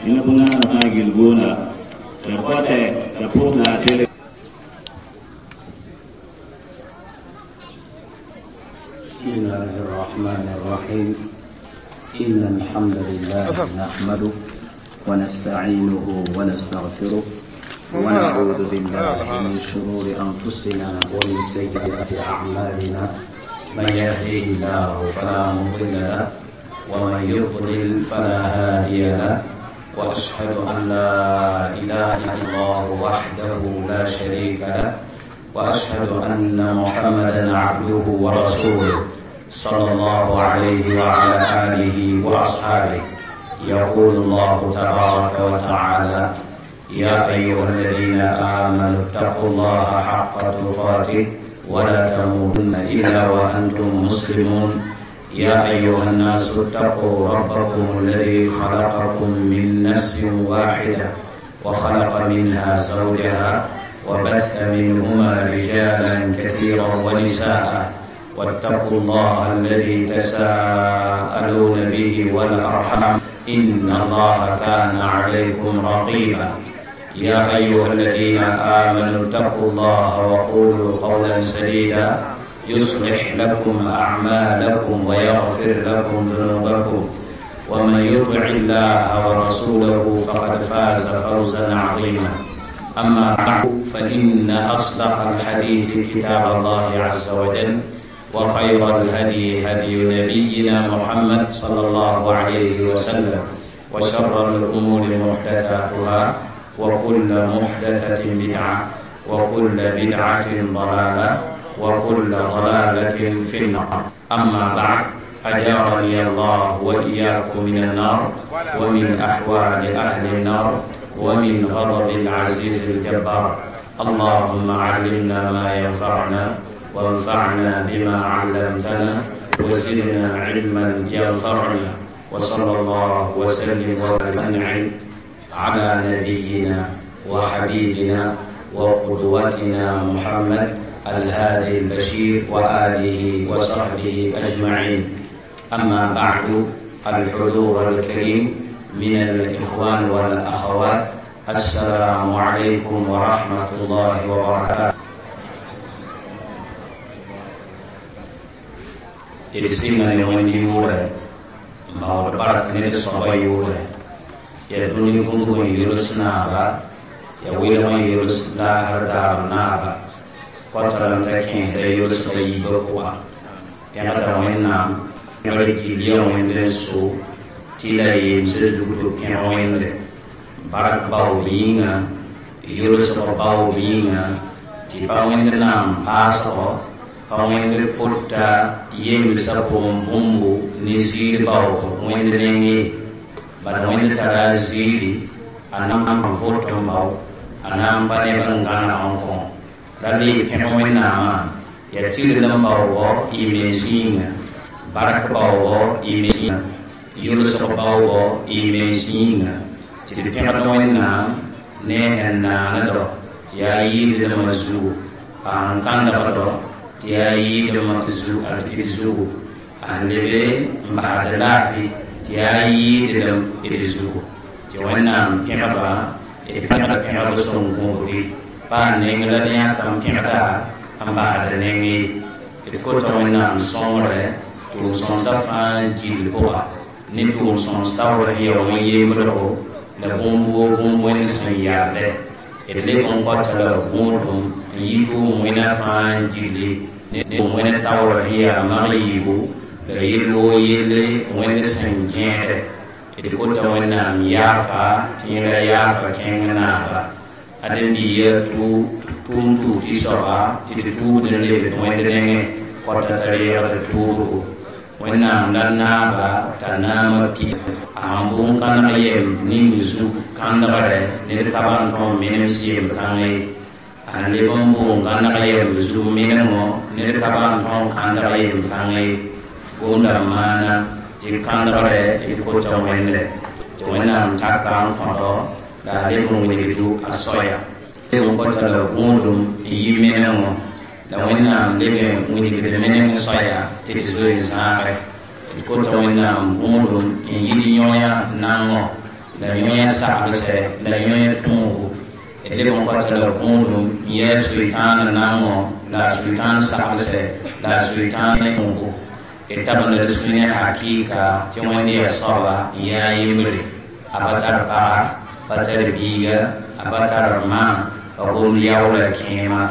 Ina bunga na gilgona da kwata da pokla tele. بسم الله الرحمن الرحيم. إن الحمد لله نحمده ونستعينه ونستغفره ونعوذ بالله من شرور أنفسنا ومن سيئات أعمالنا. من يهده الله فلا مضل له ومن يضلل فلا هادي له، وأشهد أن لا إله إلا الله وحده لا شريك له، وأشهد أن محمدا عبده ورسوله صلى الله عليه وعلى آله وأصحابه. يقول الله تبارك وتعالى: يا أيها الذين آمنوا اتقوا الله حق تقاته ولا تموتن إلا وأنتم مسلمون. يا أيها الناس اتقوا ربكم الذي خلقكم من نفس واحدة وخلق منها زوجها وبث منهما رجالا كثيرا ونساء، واتقوا الله الذي تساءلون به والأرحام إن الله كان عليكم رقيبا. يا أيها الذين آمنوا اتقوا الله وقولوا قولا سديدا يصلح لكم أعمالكم ويغفر لكم ذنوبكم، ومن يطع الله ورسوله فقد فاز فوزا عظيما. أما بعد، فإن أصدق الحديث كتاب الله عز وجل، وخير الهدي هدي نبينا محمد صلى الله عليه وسلم، وشر الأمور محدثاتها، وكل محدثة بدعة، وكل بدعة ضلالة، وكل ضلالة في النار. أما بعد، أجارني الله وإياكم من النار، ومن أحوال أهل النار، ومن غضب العزيز الجبار. اللهم علمنا ما ينفعنا، وانفعنا بما علمتنا، وزدنا علما ينفعنا، وصلى الله وسلم وأنعم على نبينا وحبيبنا وقدوتنا محمد الهادي البشير وآله وصحبه أجمعين. أما بعد، الحضور الكريم من الإخوان والأخوات، السلام عليكم ورحمة الله وبركاته. إرسلنا يوم يورا ما وربارك نرسل يورا يا دنيا كنتم يرسلنا با يا ويلما يرسلنا هردارنا با قتلن تكين دا يرسل يبقوا كان وينام يرجي اليوم يندرسو تلا يمسجد كان وين بارك باو بينا يرسل باو بينا تبا وينام باسو pa wẽnd pʋta yemsã pʋgẽ bũmbu ne ziir baoog wẽnd nengẽ bala wẽnd tara a ziiri a na n vot n bao a na n pa neb n gãneg n kõ ra le pẽg wẽnnaamã yaa tigd n baoogɔ y mens yĩnga bark baoogɔ y mens yĩnga yʋlsg baoogɔ y mens yĩnga tɩ d pẽgd wẽnnaam ne sẽn naanedɔ tɩ yaa yɩɩdmã zugu a sẽn kãndgdɔ tɩ yaa yɩɩdmã zugu a lebe n basd laafɩ tɩ yaa yɩɩdlem d zugu tɩ wẽnnaam pẽgba d pẽgd pẽgb sõn gõobri pa a neng la d yãkam pẽgda n basd neng ye d kota wẽnnaam sõngre tʋʋm-sõmsã fãa gill pʋga ne tʋʋm-sõms taoor sẽn ya wẽn-yembrgo la bũmb woo bũmb wẽnd sẽn yardɛ d leb n kɔta la gũudum n yi tʋʋm wẽna fãa gilli ne wẽnd taoor sẽn yaa mag yiibu la yell woo yelle wẽnd sẽn gẽede d kota wẽnnaam yaafa tɩ yẽla yaafa kẽng naaba ãdem-biiga tʋʋm tʋʋg tɩ soaba tɩ d tʋʋgd n lebd wẽnd nengẽ kɔta t'a reegd tʋʋsgo wẽnnaam la naaba t'a naamã pi a sẽn bũn-kãneg yem ning zug kãndgre ned ka ban tõe n menems yem-kãngã ye a sẽn leb n bũn-kãneg yem zug menengõ ned ka ban tõe n kãndg yem-kãngã ye gomda maana tɩ kãndgre d kota wẽnde tɩ wẽnnaam taka n kõdo la a leb n wilgdu a soaya leb n kɔta la gũudum n yi menengõ la wẽnnaam leb n wilgd meneng soaya tɩ d zoe zãage d kota wẽnnaam gũudum n yid yõya nangõ La yõe saglsɛ la yõe tõogo d leb n kota la gõodum n yɛɛ Sʋɩtãan naangõ la a Sʋɩtãan saglsɛ la a Sʋɩtãan tõogo d tabenda d sũ ne hakɩɩka tɩ Wẽnd yaa soaba n yaa yembre a pa tar paga pa tar biiga a pa tar ma pa gomd yaoola kẽema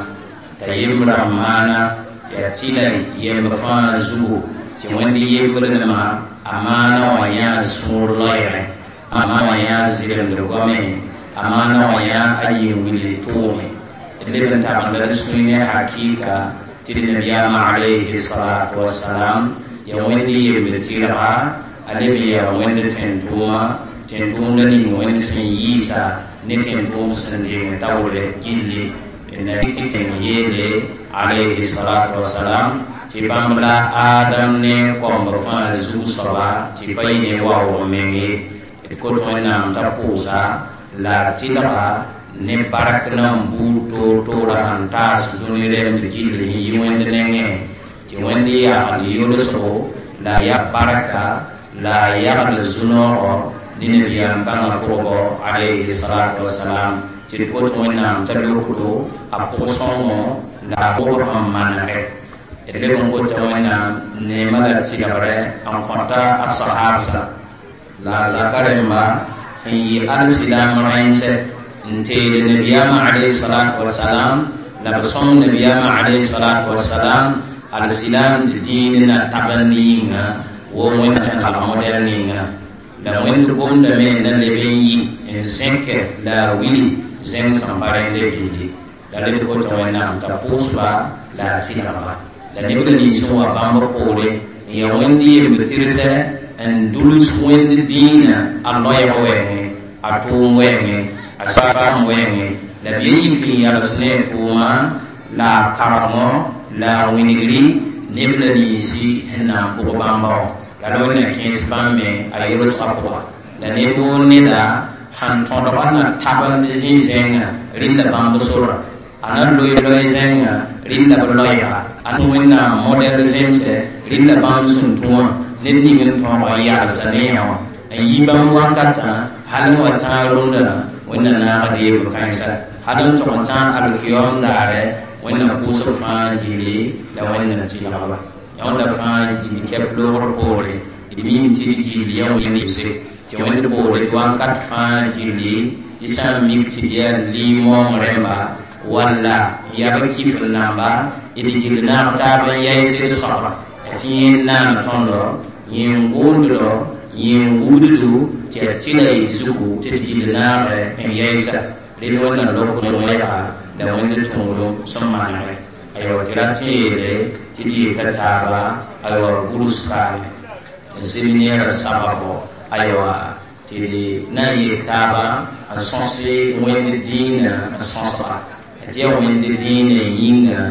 t'a yembrã maana yaa tɩla yemb fãa zugu tɩ Wẽnd yembr nẽma a maana wã yãa sũur loeere a maana wã yãa zɩremd goame a maana wã yãa a yĩn-willi tʋʋme d leb n tabenda d sũy ne hakɩɩka tɩ d nabiyaamã alayhi salatu wasalam ya Wẽnd yemb tɩrga a leb n yaa Wẽnd tẽn-tʋʋma tẽn-tʋʋmda ning Wẽnd sẽn yiisa ne tẽn-tʋʋm sẽn deng taoore gilli na tɩ tẽng yeele alayhi salatu wasalam tɩ bãmb la Adam ne kõmb fãa zug soaba tɩ pa yɩ ne waoog meng ye d kot Wẽnnaam t'a pʋʋsa la a tɩlga ne bark nan buud toor-toorã sẽn taas dũni rẽmd gill n yi Wẽnd nengẽ tɩ Wẽnd yagd yolsgo la a ya barka la a yagd zu-noogɔ ne nabiyaam kãngã pʋgbo alayhi salatu wasalam tɩ d kot Wẽnnaam t'a lokdo a pʋg-sõngo la a pʋgb sẽn manegɛ d leb n kota Wẽnnaam neemã la tɩlgrɛ n kõta a sahabsa la a zaka rẽmba sẽn yɩ alsilaam rãensɛ n teed nabiyaamã alayhi salatu wasalam la b sõng nabiyaamã alayhi salatu wasalam alsilaam tɩ dĩin na tabend yĩnga wo Wẽnd sẽn salg modɛl ninga la Wẽnd gomdame na leb n yi n zẽkɛ la a wili zẽng sẽn pa rẽnde gilli la leb kota Wẽnnaam t'a pʋʋsba la a tɩlgba la neb la nins n wa bãmb poore n yaa Wẽnd yemb tɩrsɛ n dʋls Wẽnd dĩinã a loɛɛg wɛɛngẽ a tʋʋm wɛɛngẽ a safam wɛɛngẽ la b ye yik n yals ne a tʋʋma la a karemõ la a wĩnigri neb la ninsi sẽn na n pʋg bãmba wã la la Wẽnna kẽes bãmb me a yolsgã pʋga la neb woo neda sãn tõdga na tabend zĩ-zẽngã rɩlla bãmb sora a na loe loe zẽnga rɩlla b loɛɛga a Wẽnnaam modɛl zemsɛ rɩlla bãmb sẽn tũ wã ned ning n tõog n yalsa ne yã wã n yi bãmb wakatã hal n wa tãag rũndã Wẽnna naagd yemb kãensa hal n tog n tãag alkiyoom daare Wẽnna pʋʋsb fãa gilli la Wẽnna tɩlgba yõnda fãa gil kɛp loogr poore d mim tɩ d gill ya Wẽnd yɩse tɩ Wẽnd boole d wãnkat fãa gilli tɩ sã n mik tɩ d yaa lim-waoong rẽmba walla yab kif n namba d gill naag taab n yaɩs d soaba tɩ yẽ naan tõndo yẽ n gʋʋnddo yẽ n gũuddu tɩ yaa tɩla y zugu tɩ d gill naagɛ n yaɩsa rel Wẽnna lokd wẽga la Wẽnd tõodum sẽn manegɛ aywa tɩ rat n yeele tɩ d yeta taaba aywa gʋls kaame n seminɛɛrã sababo aywa tɩ na n yet taaba n sõs Wẽnd dĩinã n sõsga tɩ yaa Wẽnd dĩinã yĩnga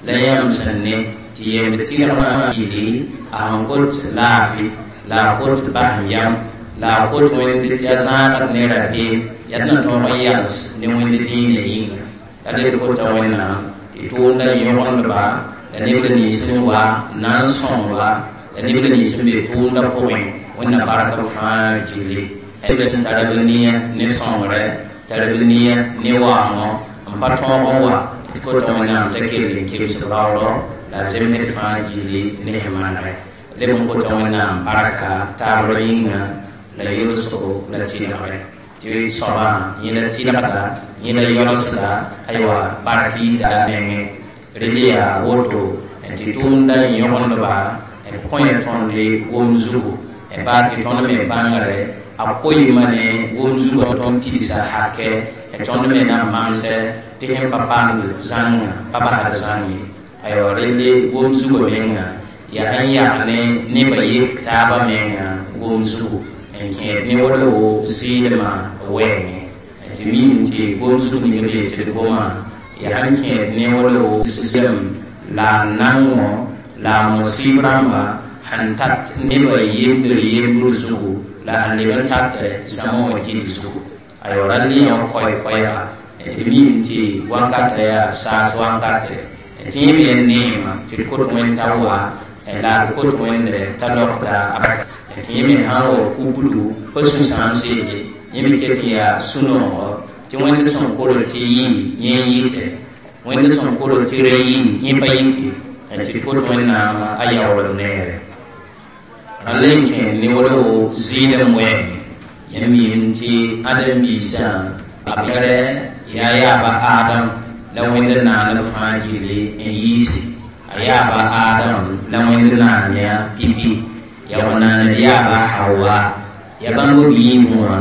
la yãmb sẽn ne tɩ yemb tɩlgmã yɩli a sẽn kot laafɩ la a kot bas yam la a kot Wẽnd tɩ a zãagd ne rabeem yaa d na tõog n yals ne Wẽnd dĩinã yĩnga la leb kota Wẽnnaam tɩ tʋʋmda yõgendba la neb la nins n wa na n sõngba la neb la nins n be tʋʋmda pʋgẽ Wẽnna bark b fãa gilli neb la sẽn tara b nia ne sõngrɛ tar b nia ne waoongõ n pa tõog n wa tɩ kota Wẽnnaam t'a kell n kebs raoodɔ la a zemsd fãa gilli ne sẽn manegɛ leb n kota Wẽnnaam barka taabr yĩnga la yolsgo la tɩlgrɛ tɩ soabã yẽ la tɩlgda yẽ la yolsda aywa bark yita a mengẽ rel yaa woto tɩ tʋʋmda yõgendba b kõ tõnd gom zugu baa tɩ tõnd me bãngre a koɩɩmã ne gom zugã tõnd pidsa hakɛ tõnd me na n mamsɛ tɩ sẽn pa paamd zãngã pa basd zãng ye aywa relle gom zugã menga yaa sẽn yag ne nebã yek taabã menga gom zugu n kẽed ne wala wo zɩɩdmã wɛɛngẽ tɩ mim tɩ gom zug ning b yetɩ d gomã yaa sẽn kẽed ne wala wo zem la a nangõ la a mosɩɩb rãmba sẽn tat nebã yembr yembr zugu la sẽn leb n tat zãma wã gil zugu aywa rall yã wã koɛɛ-koɛɛga d mim tɩ wankatã yaa saas wankatɛ tɩ yẽ me neema tɩ d kot Wẽnd t'a wa La kot wẽnde t'a lokta a baka tɩ yẽ me sã n wa kubdu pa sũ-sãamse ye yẽ me ket n yaa sũ-noogo tɩ wẽnd sẽn korl tɩ yɩ yẽ n yɩte wẽnd sẽn korl tɩ ra yɩ yẽ pa yɩte tɩ d kot wẽnnaam a yaoolem neere rãnd la n kẽ ne wolo zɩɩdem wɛɛngẽ yẽmb yĩm tɩ ãdem-biisã b bẽgre yaa yaaba Adam la wẽnd naaneb fãa gilli n yiise a yaaba Adam la wẽnd naan yã pipi ya wa naaned yaaba Hawa ya bãmb b yiibẽ wã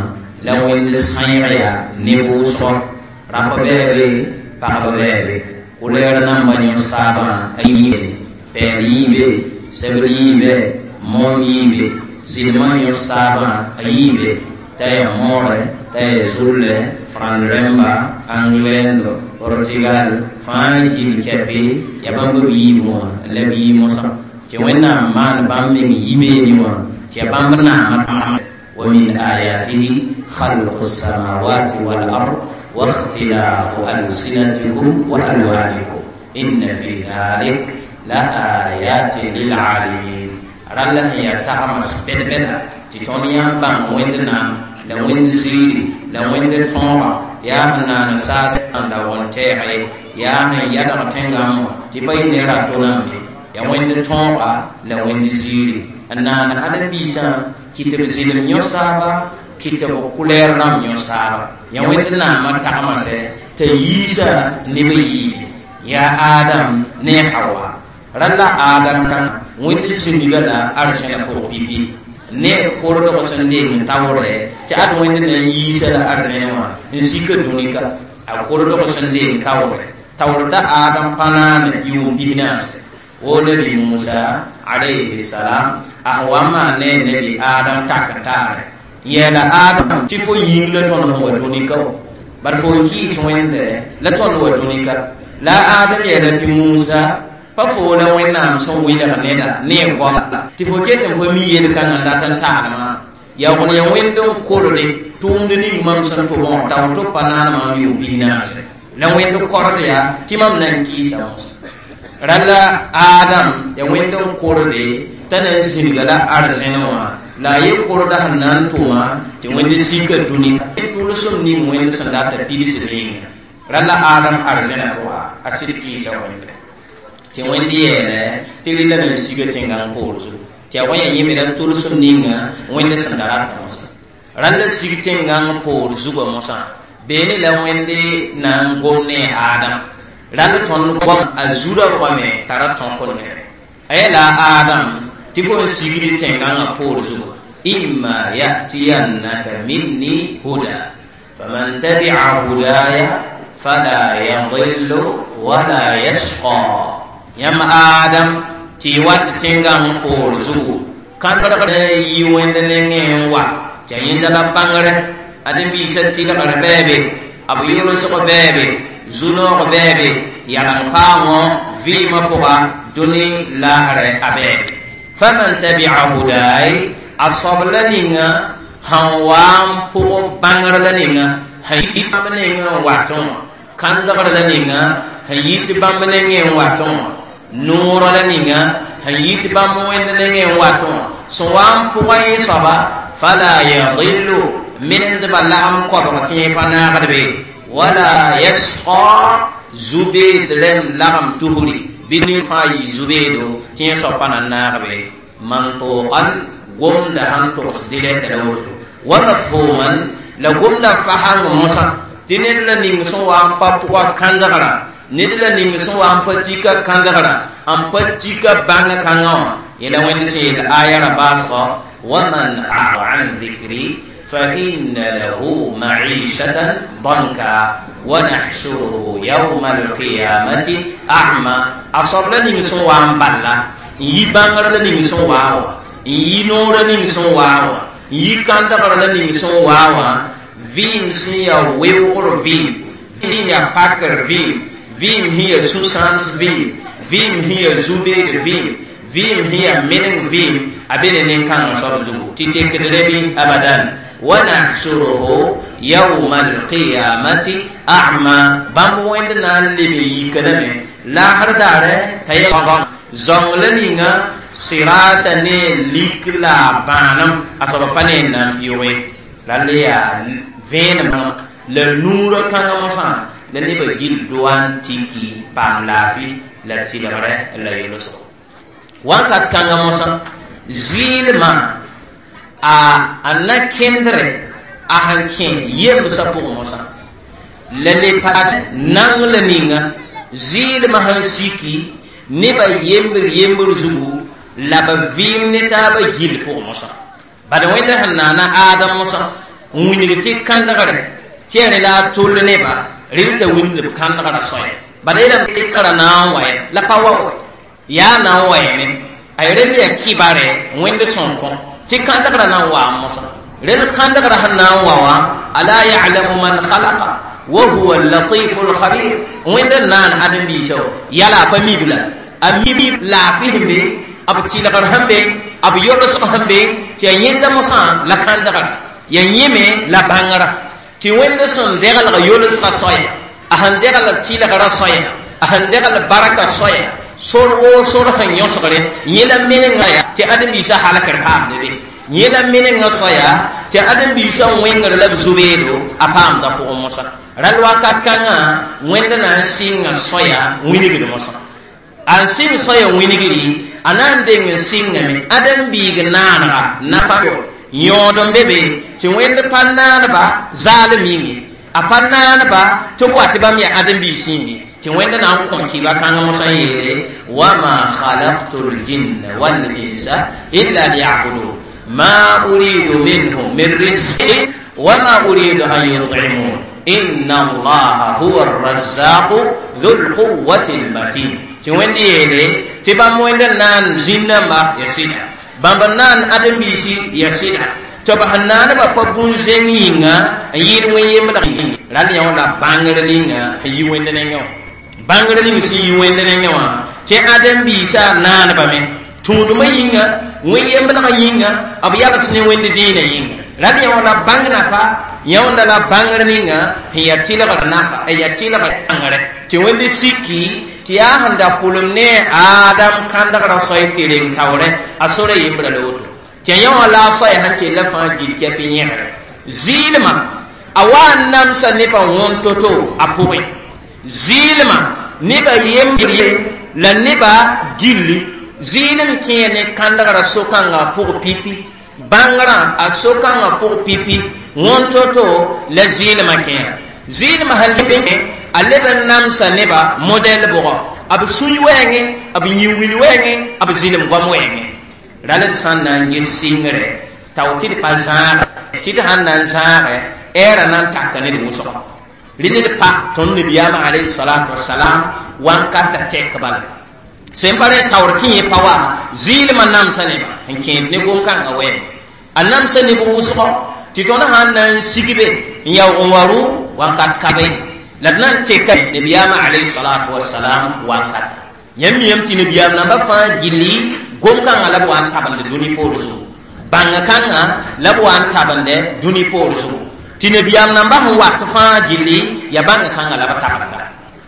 la wẽnd sãeeg yaa ne vʋʋsgɔ rapa bɛɛbe pagba bɛɛbe kulɛɛr namba yõs taabã a yiibe pɛɛl yiibe sebr yiibe moom yiibe zɩlmã yõs taabã a yiibe t'a yaa moore t'a yaa zulle frãnd rẽmba anglɛndo Portugal fãa gil kɛpe ya bãmb b yiibẽ wã la b yɩ mosã tɩ wẽnnaam maan bãmb meng yibeene wã tɩ ya bãmb naamã wa min ayatihi khalqu samawati wal ard wa ikhtilafu alsinatikum wa alwanikum inna fi dhalik la ayatin lilalimin rãnd la sẽn yaa tagems bɛd-bɛda tɩ tõnd yãmb bãng wẽnd naam la wẽnd ziiri la wẽnd tõoga yaa sẽn naan saas la wõn-tɛɛge yaa sẽn yadg tẽngame tɩ pa yɩ ne rato rãmbe yaa wẽnd tõoga la wẽnd ziiri n naan ãdem-biisã kɩ tɩ b zɩlem yõs taaba kɩ tɩ b kulɛɛr rãmb yõs taaba yaa wẽnd naamã tagmsɛ t'a yiisa neb n yiibe yaa Adam ne Hawa rãnd la Adam wẽnd sĩndga la arzẽna pʋg pipi ne kordg sẽn deeng n taoore tɩ ad wẽnd na n yiisa la arzẽne wã n sika dũnika a kordg sẽn deeng taoore taoor t'a Adam pa naane yʋʋm pisnaase wo nabi Musa alayhi salam a wa n maan ne nabi Adam tak n taare n yɛɛla Adam tɩ fo yĩng la tõnd sẽn wa dũnika wã bar fo n kɩɩs wẽnde la tõnd wa dũnika la Adam yɛɛla tɩ Musa pa fo la wẽnnaam sẽn wɩlg neda ne a goama tɩ fo ket n pa mi yel-kãngã n dat n taglmã yaa wẽn yaa wẽnd n korde tʋʋmd ning mam sẽn tʋbẽ wã taoor tɩ b pa naan mam yʋʋm pisnaase la wẽnd kord yaa tɩ mam na n kɩɩsa mosã rãnd la Adam yaa wẽnd n korde t'a na n zĩnga la arzẽn wã la a ye korda sẽn na n tʋma tɩ wẽnd sika dũni tʋlsem ning wẽnd sẽn dat t'a pidsd yĩnga rãnd la Adam arzẽna pʋga a sɩd kɩɩsa wẽnde tɩ wẽnd yeele tɩ rɩla na n siga tẽngã poor zugu tɩ yaa wa yã yẽ me la tʋlsem ninga wẽnd sẽn da rata mosã rãnd la sig tẽngã poor zugã mosã beene la wẽnde na n gom ne Adam rãnd tõnd goam a zu-raoogame t'a ra tõk nere a yeela Adam tɩ fo n sigd tẽngã poor zugu imma yatiyannaka minni huda faman tabi'a hudaya fala yadillu wala yashqa yãmb Adam tɩ y wat tẽngã poor zugu kãndgd yi wẽnd nengẽ n wa tɩ a yẽnda la bãngre ãdem-biisã tɩlgr bɛɛbe b yʋlsg bɛɛbe zu-noog bɛɛbe yalem-paoongõ vɩɩmã pʋga dũni laasrɛ a bɛɛbe faman tabi'a hudaay a soab la ninga sẽn wa n pʋg bãngr la ninga sẽn yit bãmb nengẽ n watẽ wã kãndgr la ninga sẽn yit bãmb nengẽ n watẽ wã noorã la ninga sẽn yit bãmb wẽnd nengẽ n watẽ wã sẽn wa n pʋgã yẽ soaba fala yadillu mindbã lagem kobg tɩ yẽ pa naagd be wala yasqa zubeed rẽmb lagem tusri bɩ ned fãa yɩ zubeedo tɩ yẽ soab pa na n naag be mantuqan gomda sãn togs dirɛt la woto wa mafhuman la gomda fasãng mosã tɩ ned la ning sẽn wa n pa pʋga kãndgrã ned la ning sẽn wa n pa tika kãndgrã n pa tika bãng kãngã wã yẽla wẽnd sẽn yeel aya ra baasgɔ waman a'rada an dhikri fa inna lahu ma'ishatan danka wa nahshuruhu yawma alqiyamati a'ma a soab la ning sẽn wa n balla n yi bãngr la ning sẽn waa wã n yi noorã ning sẽn waa wã n yi kãndgr la ning sẽn waa wã vɩɩm sẽn yaa weoogr vɩɩm vɩɩm yaa pakr vɩɩm vɩɩm sẽn yaa sũ-sãams vɩɩm vɩɩm sẽn yaa zu-beed vɩɩm vɩɩm sẽn yaa meneng vɩɩm a be ne nin-kãngã soab zugu tɩ tekd rebi abadan wa nahsuruhu yawma alqiyamati a'ma bãmb wẽnd na n leb n yika lame laasr daare t'a yaa zãong la ninga sirata ne lik la bãanem a soaba pa ne n na n pɩʋge la le yaa vẽenem la nuurã kãngã mosã la nebã gil doa n tiki paam laafɩ la tɩlgre la yolsgo wakat kãngã mosã zɩɩlmã a na kẽndre a sẽn kẽ yembsã pʋgẽ mosã la le paas nang la ninga zɩɩlmã sẽn siki nebã yembr yembr zugu la b vɩɩm ne taabã gil pʋgẽ mosã bad wẽnd sẽn naana aadam mosã n wilg tɩ kãndgre tɩ yaa la a tʋl neba rel t'a wilg b kãndgrã soaya bad yeelame tɩ kãra na n wa la pa wa yaa na n wa yẽme a rel yaa kibare wẽnd sõn kõ tɩ kãndgrã na n waam mosã rel kãndgrã sẽn na n wa wã ala ya'lamu man khalaqa wa huwa al-latifu al-khabir wẽnd n naan ãdem-biisã yala a pa mib la a mib laafɩ sẽn be b tɩlgr sẽn be b yolsg sẽn be tɩ yaa yẽnda mosã la kãndgrã yaa yẽme la bãngrã tɩ wẽnd sẽn deglg yolsgã soaya a sẽn degl tɩlgrã soaya a sẽn degl barka soaya sor woo sor sẽn yõsgre yẽ la menengã ya tɩ ãdem-biisã halkr paamde be yẽ la menengã soaya tɩ ãdem-biisã wẽngr la b zu-beedo a paamda pʋgẽ mosã ral wakat kãngã wẽnd na n sɩnga soaya wilgd mosã a n sɩng soaya wilgri a na n deng n sɩngame ãdem-biig naanega nafa yõod n be be tɩ wẽnd pa naaneba zaalem yĩnge a pa naaneba tɩ b wa tɩ bãmb yaa ãdem-biis yĩnge tɩ wẽnd na n kõ kɩba kãng mosã n yeele wama khalaqtu ljinna walinsa illa liyabudun ma uridu minhum min rizqin wama uridu an yut'imun inna allaha huwa arrazzaqu dhu lquwati lmatin tɩ wẽnd yeele tɩ bãmb wẽnd n na n zĩnnãmba ya sɩda bãmb n naan ãdem-biisi ya sɩda tɩ b sẽn naanbã pa bũn-zẽng yĩnga n yɩɩd wẽn-yemdg ral yã wã la bãngr ninga sẽn yi wẽnd nengẽ wã bãngr ning sẽn yi wẽnd nengẽ wã tɩ ãdem-biisã naanbame tũudmã yĩnga wẽn-yemdgã yĩnga b yals ne wẽnd dĩinã yĩnga ral yã wã la bãng nafa yãonda la bãngr ninga sẽn yaa tɩlgr nafa n yaa tɩlgr bãngre tɩ wẽnd siki tɩ yaa sẽn da pʋlem ne aadam kãndgrã soay tɩ reng taoorẽ a sora yembra la woto tɩ yã wã la a soaya sẽn kell fãa gil kɛp n yẽgre zɩɩlmã a wa n namsa nebã wõn to-to a pʋgẽ zɩɩlmã nebã yembre la nebã gilli zɩɩlem kẽe ne kãndgrã so-kãngã pʋg pipi bãngrã a so-kãngã pʋg pipi wõn to-to la zɩɩlmã kẽera zɩɩlmã sẽn leb a leb n namsa nebã modɛl bʋgɔ b sũy wɛɛngẽ b yĩn-wil wɛɛngẽ b zɩlem goam wɛɛngẽ ral d sã n na n ges sɩngre tao tɩ d pa zãage tɩ d sãn na n zãage ɛɛrã na n taka ned wʋsgɔ rẽ ned pa tõnd nabiyaamã alayhi salatu wasalam wãnkata tɛk bala sẽn pa rẽ taoor tɩ yẽ pa wa zɩɩlmã namsa nebã sẽn kẽed ne gom-kãngã wɛɛngẽ a namsa neb wʋsgɔ tɩ tõnd sãn na n sigbe n yaoog n wa rʋ wãnkat ka be la d na n teka nabiyaamã alayhi salatu wasalam wankata yãmb miyame tɩ nabiyaam namba fãa gilli gom-kãngã la b wa n tabend dũni poor zugu bãngã kãngã la b wa n tabende dũni poor zugu tɩ nabiyaam namba sẽn wat fãa gilli ya bãngã kãngã la b tabenda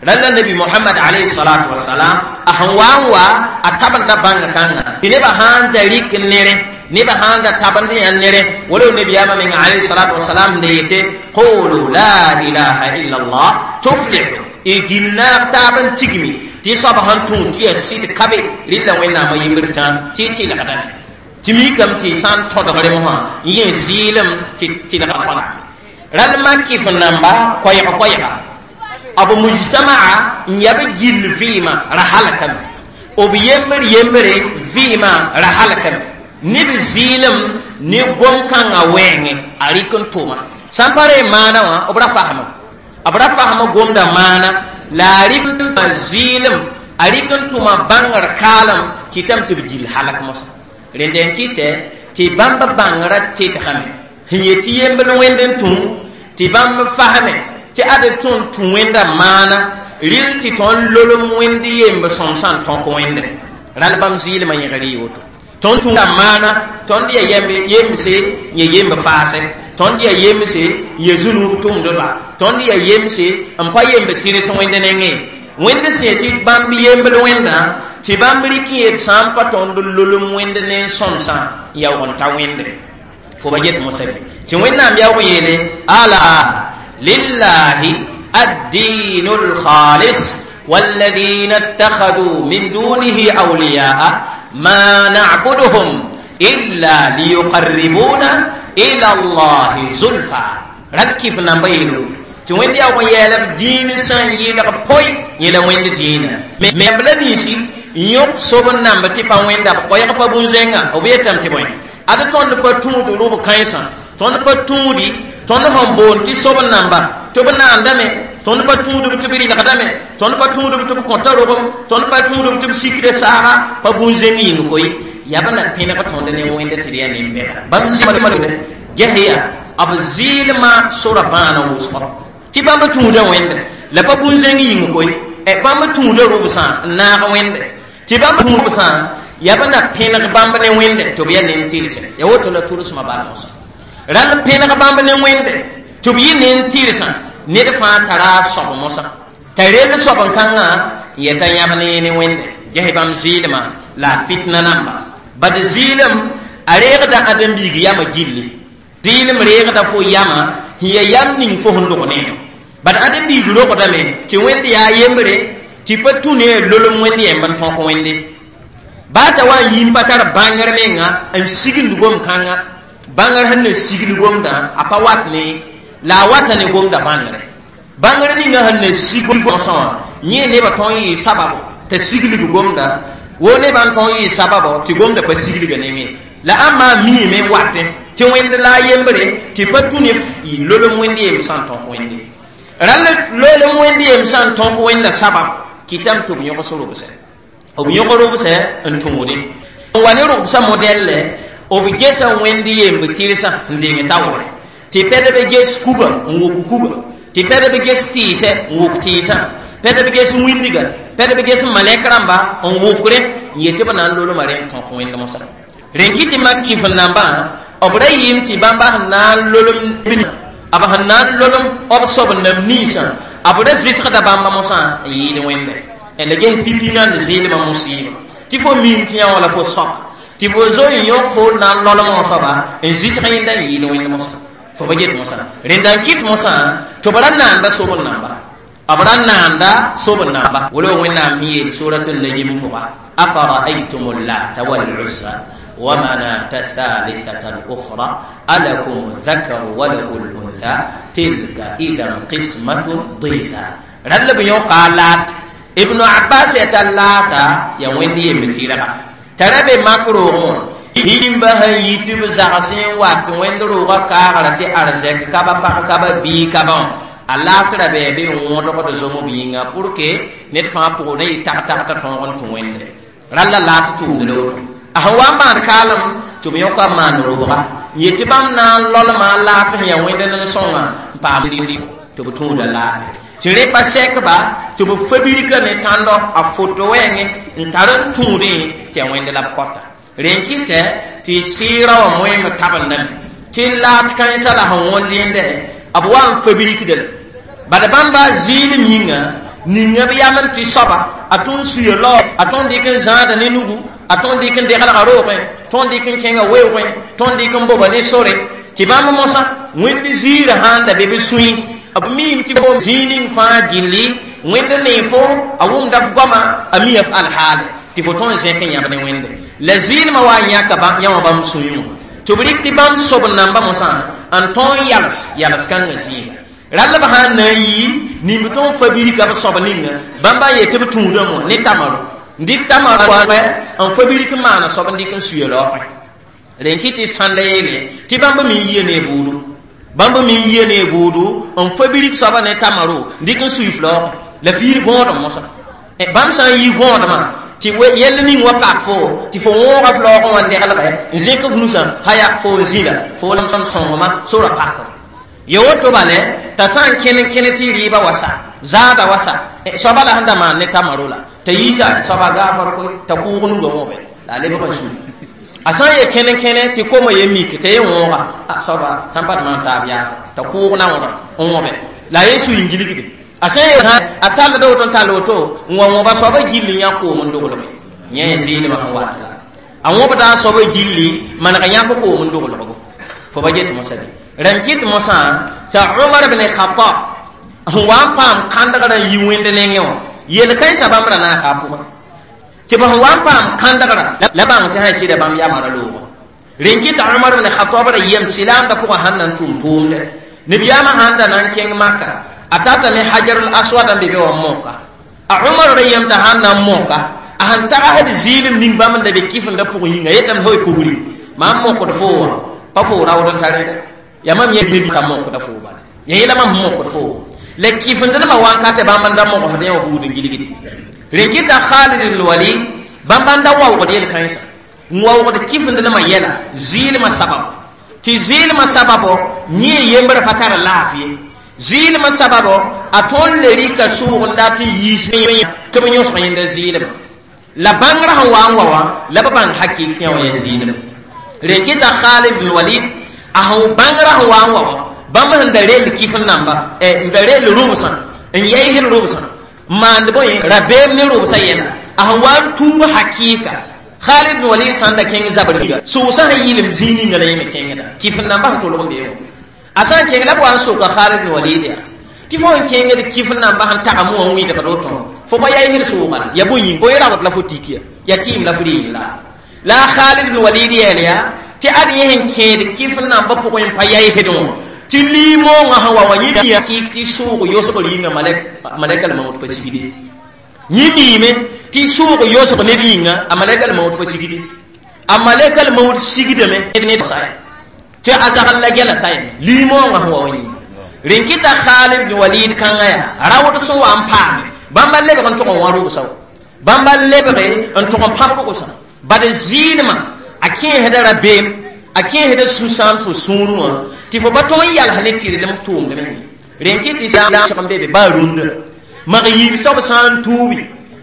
rãll la nabi mohamad alayhi salatu wasalam a sẽn wa n wa a tabenda bãngã kãngã tɩ nebã sãn da rɩk nerẽ nebã sãn da tabend yã nerẽ wala nabiyaamã meng alayhi salatu wasalam sẽn da yete qulu la ilaha illa allah tuflihu y gil naab taab n tigmi tɩ soab sẽn tũ tɩ yaa sɩd kabe rɩlla wẽnnaamã yembr tã tɩ y tɩlgdame tɩ mikame tɩ sã n tõdgre mosã n yẽ zɩɩlem tɩ tɩlga rãll makɩf namba koɛɛg koɛɛga b mujtamaa n yaa b gill vɩɩmã ra halkame b yembr yembre vɩɩmã ra halkame neb zɩɩlem ne gom-kãngã wɛɛngẽ a rɩk n tʋma sã n pa re maana wã b ra fasma b ra fasma gomda maana la a rɩk n tʋma zɩɩlem a rɩk n tʋma bãngr kaalem kɩtame tɩ b gill halk mosã rẽnd n kɩtɛ tɩ bãmb bãngrã tɩtgame sẽn yet tɩ yembl wẽnd n tũ tɩ bãmb fasme tɩ ad tõnd tũ wẽnda maana rɩl tɩ tõnd lolem wẽnd yemb sõm sã n tõk wẽnde rall bãmb zɩɩlmã yẽgr y woto tõnd tũda maana tõnd ya yemse yẽ yemb faase tõnd ya yemse yẽ zunub tʋmdba tõnd ya yemse n pa yemb tɩrs wẽnd nengẽ wẽnd sẽn tɩ bãmb yembl wẽndã Tɩ bãmb rɩk n yet sã n pa tõnd lolem wẽnd ne n sõmsã n yaoog n ta wẽnde fo ba get mosã bɩ tɩ Wẽnnaam yaoog yeele ala lillahi ad-diinu l-khalis والذين اتخذوا من دونه أولياء ما نعبدهم إلا ليقربونا إلى الله زلفى ركف نمبيلو tɩ wẽnd yaa wã yɛɛla b dĩin sã n yɩlg poe yẽla wẽnd dĩinã me b la ninsi n yõk sob n namb tɩ pa wẽnda b koɛɛg pa bũn-zẽnga b yetame tɩ bõe ad tõnd pa tũud rʋb kãensã tõnd pa tũudi tõnd sẽn boond tɩ sob n namba tɩ b naandame tõnd pa tũudb tɩ b rɩlgdame tõnd pa tũudb tɩ b kõta rogem tõnd pa tũudb tɩ b sikda saaga pa bũn-zẽng yĩng koe yaa b na pẽneg tõnd ne wẽnd tɩ d yaa nin-bɛda bãmb zɩɩlma gesya b zɩɩlmã sora bãana wʋsgɔ tɩ bãmb tũuda wẽnde la pa bũn-zẽng yĩng koe bãmb tũuda rʋbsã n naag wẽnde tɩ bãmb tũubsã yaa b na pẽneg bãmb ne wẽnde tɩ b yaa nen-tɩrse ya woto la tʋlsmã bal mosã rãnd pẽneg bãmb ne wẽnde tɩ b yɩ nen-tɩrsã ned fãa tara a soab mosã t'a rel soab n kãngã n yeta yãb ne ne wẽnde ges bãmb zɩɩlmã la a fitna namba bad zɩɩlem a reegda ãdem-biig yamã gilli zɩɩlem reegda fo yamã sẽn ya yam ning fo sẽn dog ne bad ãdem-biig rogdame tɩ wẽnd yaa yembre tɩ pa tũ ne lolem wẽnd yẽmb n tõk wẽnde baa t'a wa n yĩm pa tar bãngr menga n signd gom-kãnga bãngr sẽn na sigl gomdã a pa wat ne la a wata ne gomda bãngre bãngr ninga sẽn na sig gomsã wã yẽ nebã tõe n yɩ sababo t'a siglg gomda wo nebã n tõe n yɩ sababo tɩ gomda pa siglga nengẽ la ãmba miime n watẽ tɩ wẽnd la a yembre tɩ pa tũ ne lolem wẽnd yem sã n tõk wẽnde rãll lolem wẽnd yem sã n tõk wẽnda sabab kɩtame tɩ b yõgs robsɛ b yõg robsɛ n tũudẽ n wa ne robsã modɛlle b gesa wẽnd yemb tɩrsã n deng taoore tɩ pɛdb ges kuga n wok kuga tɩ pɛdb ges tɩɩsɛ n wok tɩɩsã pɛdb ges wĩndiga pɛdb ges malɛk rãmba n wokre n yet tɩ b na n lolma rẽ n tõk wẽnd mosã rẽn kɩ tɩ mak kɩf n nambã b ra yɩɩm tɩ bãmba sẽn na n lolem b sẽn na n lolem b soab n nam ninsã b ra zɩsgda bãmba mosã n yɩɩd wẽnde la ges pipi nan zɩɩlmã musɩɩba tɩ fo miim tɩ yã wã la fo soaba tɩ fo zo n yõk fo na n lolmã soaba n zɩsg yẽnda n yɩɩd wẽnd mosã fo ba get mosã rẽnda n kɩt mosã tɩ b ra naanda sob n namba b ra naanda sob n namba wala Wẽnnaam sẽn yeel sorat n-najm pʋga afara'aytum llata wal-uzza ومناة الثالثة الأخرى ألكم الذكر وله الأنثى تلك إذا قسمة ضيزى رد بيو قالات ابن عباس يتلاتا يا ويندي يمتيرا ترى بمكروه yĩmba sẽn yi tɩ b zags n wat wẽnd roogã kaagra tɩ arzɛk ka ba pag ka ba bii ka ba wã a laat ra bɩ bɩ n wõdgd zomb yĩnga pour que ned fãa pʋgẽ ne yɩ tag-tag t'a tõog n tũ wẽnde rall la laat tʋʋmd la woto a sẽn wa n maan kaalem tɩ b yõka n maan robga n yet tɩ bãmb na n lolmã laat sẽn yaa wẽnd nen-sõngã n paam tɩ b tũuda laate tɩ rẽ pa sɛkba tɩ b fabirka ne tãndo a foto wɛɛngẽ n tar n tũudẽ tɩ yaa wẽnd la b kɔta rẽ kɩtɛ tɩ sɩɩrã wã moeem tabendame tɩ laat kãensã la sẽn wõnd yẽndɛ b wa n fabirikda la bad bãmba zɩɩlem yĩnga ninga b yam n tɩ soaba a tõnd suya lao a tõnd dɩk n zãada ne nugu a tõnd dɩk n deglga roogẽ tõnd dɩk n kẽnga weoogẽ tõnd dɩk n boba ne sore tɩ bãmb mosã wẽnd ziirã sãn da be b sũy b miime tɩ b zĩig ning fãa gilli wẽnd nee fo a wʋmda f goama a mia f alhaale tɩ fo tõnd zẽk n yãb ne wẽnde la zɩɩlmã wa n yãka yã wã bãmb sũyẽ wã tɩ b rɩk tɩ bãmb sob n namba mosã n tõog n yals yals kãngã zĩiga rall b sãn na n yi nimb tõog fabirika b soab ninga bãmba n yet tɩ b tũudame wã ne tamaro n dɩk tamaro n fabirik n maana soab n dɩk n suya laoogẽ rẽn kɩ tɩ sãnda yeele tɩ bãmb me n yia ne buudu bãmb me n yia ne buudu n fabirik soaba ne tamaro n dɩk n sui f laoogẽ la fiir gõodem mosã bãmb sã n yi gõodmã tɩ yɛll ning wa pak fo tɩ fo wõoga f laoogẽ wã n deglgɛ n zẽk f nusã haya fo n zĩla fo lam sõngma sora pakr ya woto bale t'a sã n kẽne kẽne tɩ rɩɩba wa sa zaada wa sa soaba la sẽn da maan ne tamaro la t'a yiisa soaba gaafr koe t'a kʋʋg nugã wõbe la a lebg n sũ a sã n ye kẽne kẽne tɩ koma ye mik t'a ye wõoga soaba sãn pa d maan taab yaafa t'a kʋʋg naoodã n wõbe la a ye sui n gilgde a sã n ye a tallda woto n tall woto n wa wõba soaba gill n yã koom n doglge Yẽ zɩɩlmã sẽn wat la a wõbda a soab gilli maneg yãk koom n doglgo fo ba get mosã bɩ rãmb kɩt mosã t'a Umar ibn Khattab sẽn wa n paam kãndgrã n yi wẽnd nengẽ wã yel-kãensã bãmb ra naaka a pʋgẽ tɩ b sẽn wa n paam kãndgrã la bãng tɩ sã sɩda bãmb yamã ra loogã rẽn kɩta Umar ibn Khattab ra yem silaamdã pʋgã sãn na n tʋm tʋʋmdɛ nabiyaamã sãn da na n kẽng Maka a tatame Hajarul Aswad n be be wã n moka a Umar ra yem t'a sãn na n moka a sẽn tagsd zɩɩlem ning bãmb n da be kɩfenda pʋgẽ yĩnga yetame fo kubri mam mokd fo wã pa fo raood n tar ya mam yẽ ka mokda fo bala yẽ yela mam mokd fo la kɩfendnema wankatɛ bãmb n da mogsd yẽ wã buud n gilgde rẽn kɩta Khalid ibn Walid bãmb n da waoogd yel-kãensã n waoogd kɩfendnema yɛla zɩɩlmã sabab tɩ zɩɩlmã sababo yẽ yembrã pa tar laafɩ ye zɩɩlmã sababo a tõnd le rɩka sʋʋg n dat n yiis tɩ b yõsg yẽnda zɩɩlmã la bãngrã sẽn wa n wa wã la b bãng hakɩk tɩ yã wã yaa zɩɩlmã rẽn kɩta Khalid ibn Walid a sẽn bãngrã sẽn wa n wa wã bãmb sẽn da rell kɩf namba n da rell rʋbsã n yaɩsd rʋbsã n maand bõe rabeem ne rʋbsã yɛla a sẽn wa n tuub hakɩɩka Khalid ibn Walid sãn da kẽng zabr zĩiga sʋʋsã sẽn yɩlem zĩig ninga la yẽ me kẽngda kɩf namba sẽn tolg n bee wã a sã n kẽng la b wa n soka Khalid ibn Walid yaa tɩ fo n kẽngd kɩf namba sẽn tagm wã n wɩdgd woto fo pa yaɩsd sʋʋga la ya bõe yĩng bõe raood la fo tik ya ya tɩɩm la fo rɩɩm la la Khalid ibn Walid yɛɛl yaa tɩ ad yẽ sẽn kẽed kɩf namba pʋgẽ n pa yaɩsd wã tɩ liimoongã sẽn wa wã yẽ yaa kɩk tɩ sʋʋg yosgr yĩnga malɛka maood pa sigde yẽ miime tɩ sʋʋg yosg ned yĩnga a malɛka maood pa sigde a malɛka maood sigdame tɩ a zagl la gɛla t'a yeme liimoongã sẽn wa wã yĩnga rẽn kɩta Khalid ibn Walid kãngã yaa raood sẽn wa n paame bãmba lebg n tʋg n wã rʋbsã wa bãmba lebge n tʋg n pãb rʋgsã bad zɩɩlmã a kẽesda rabeem a kẽesda sũ-sãam fo sũurẽ wã tɩ fo pa tõog n yals ne tɩrlem tʋʋmdme rẽn kɩ tɩ sẽn n be be baa rũndã mag yiib soab sã n tuubi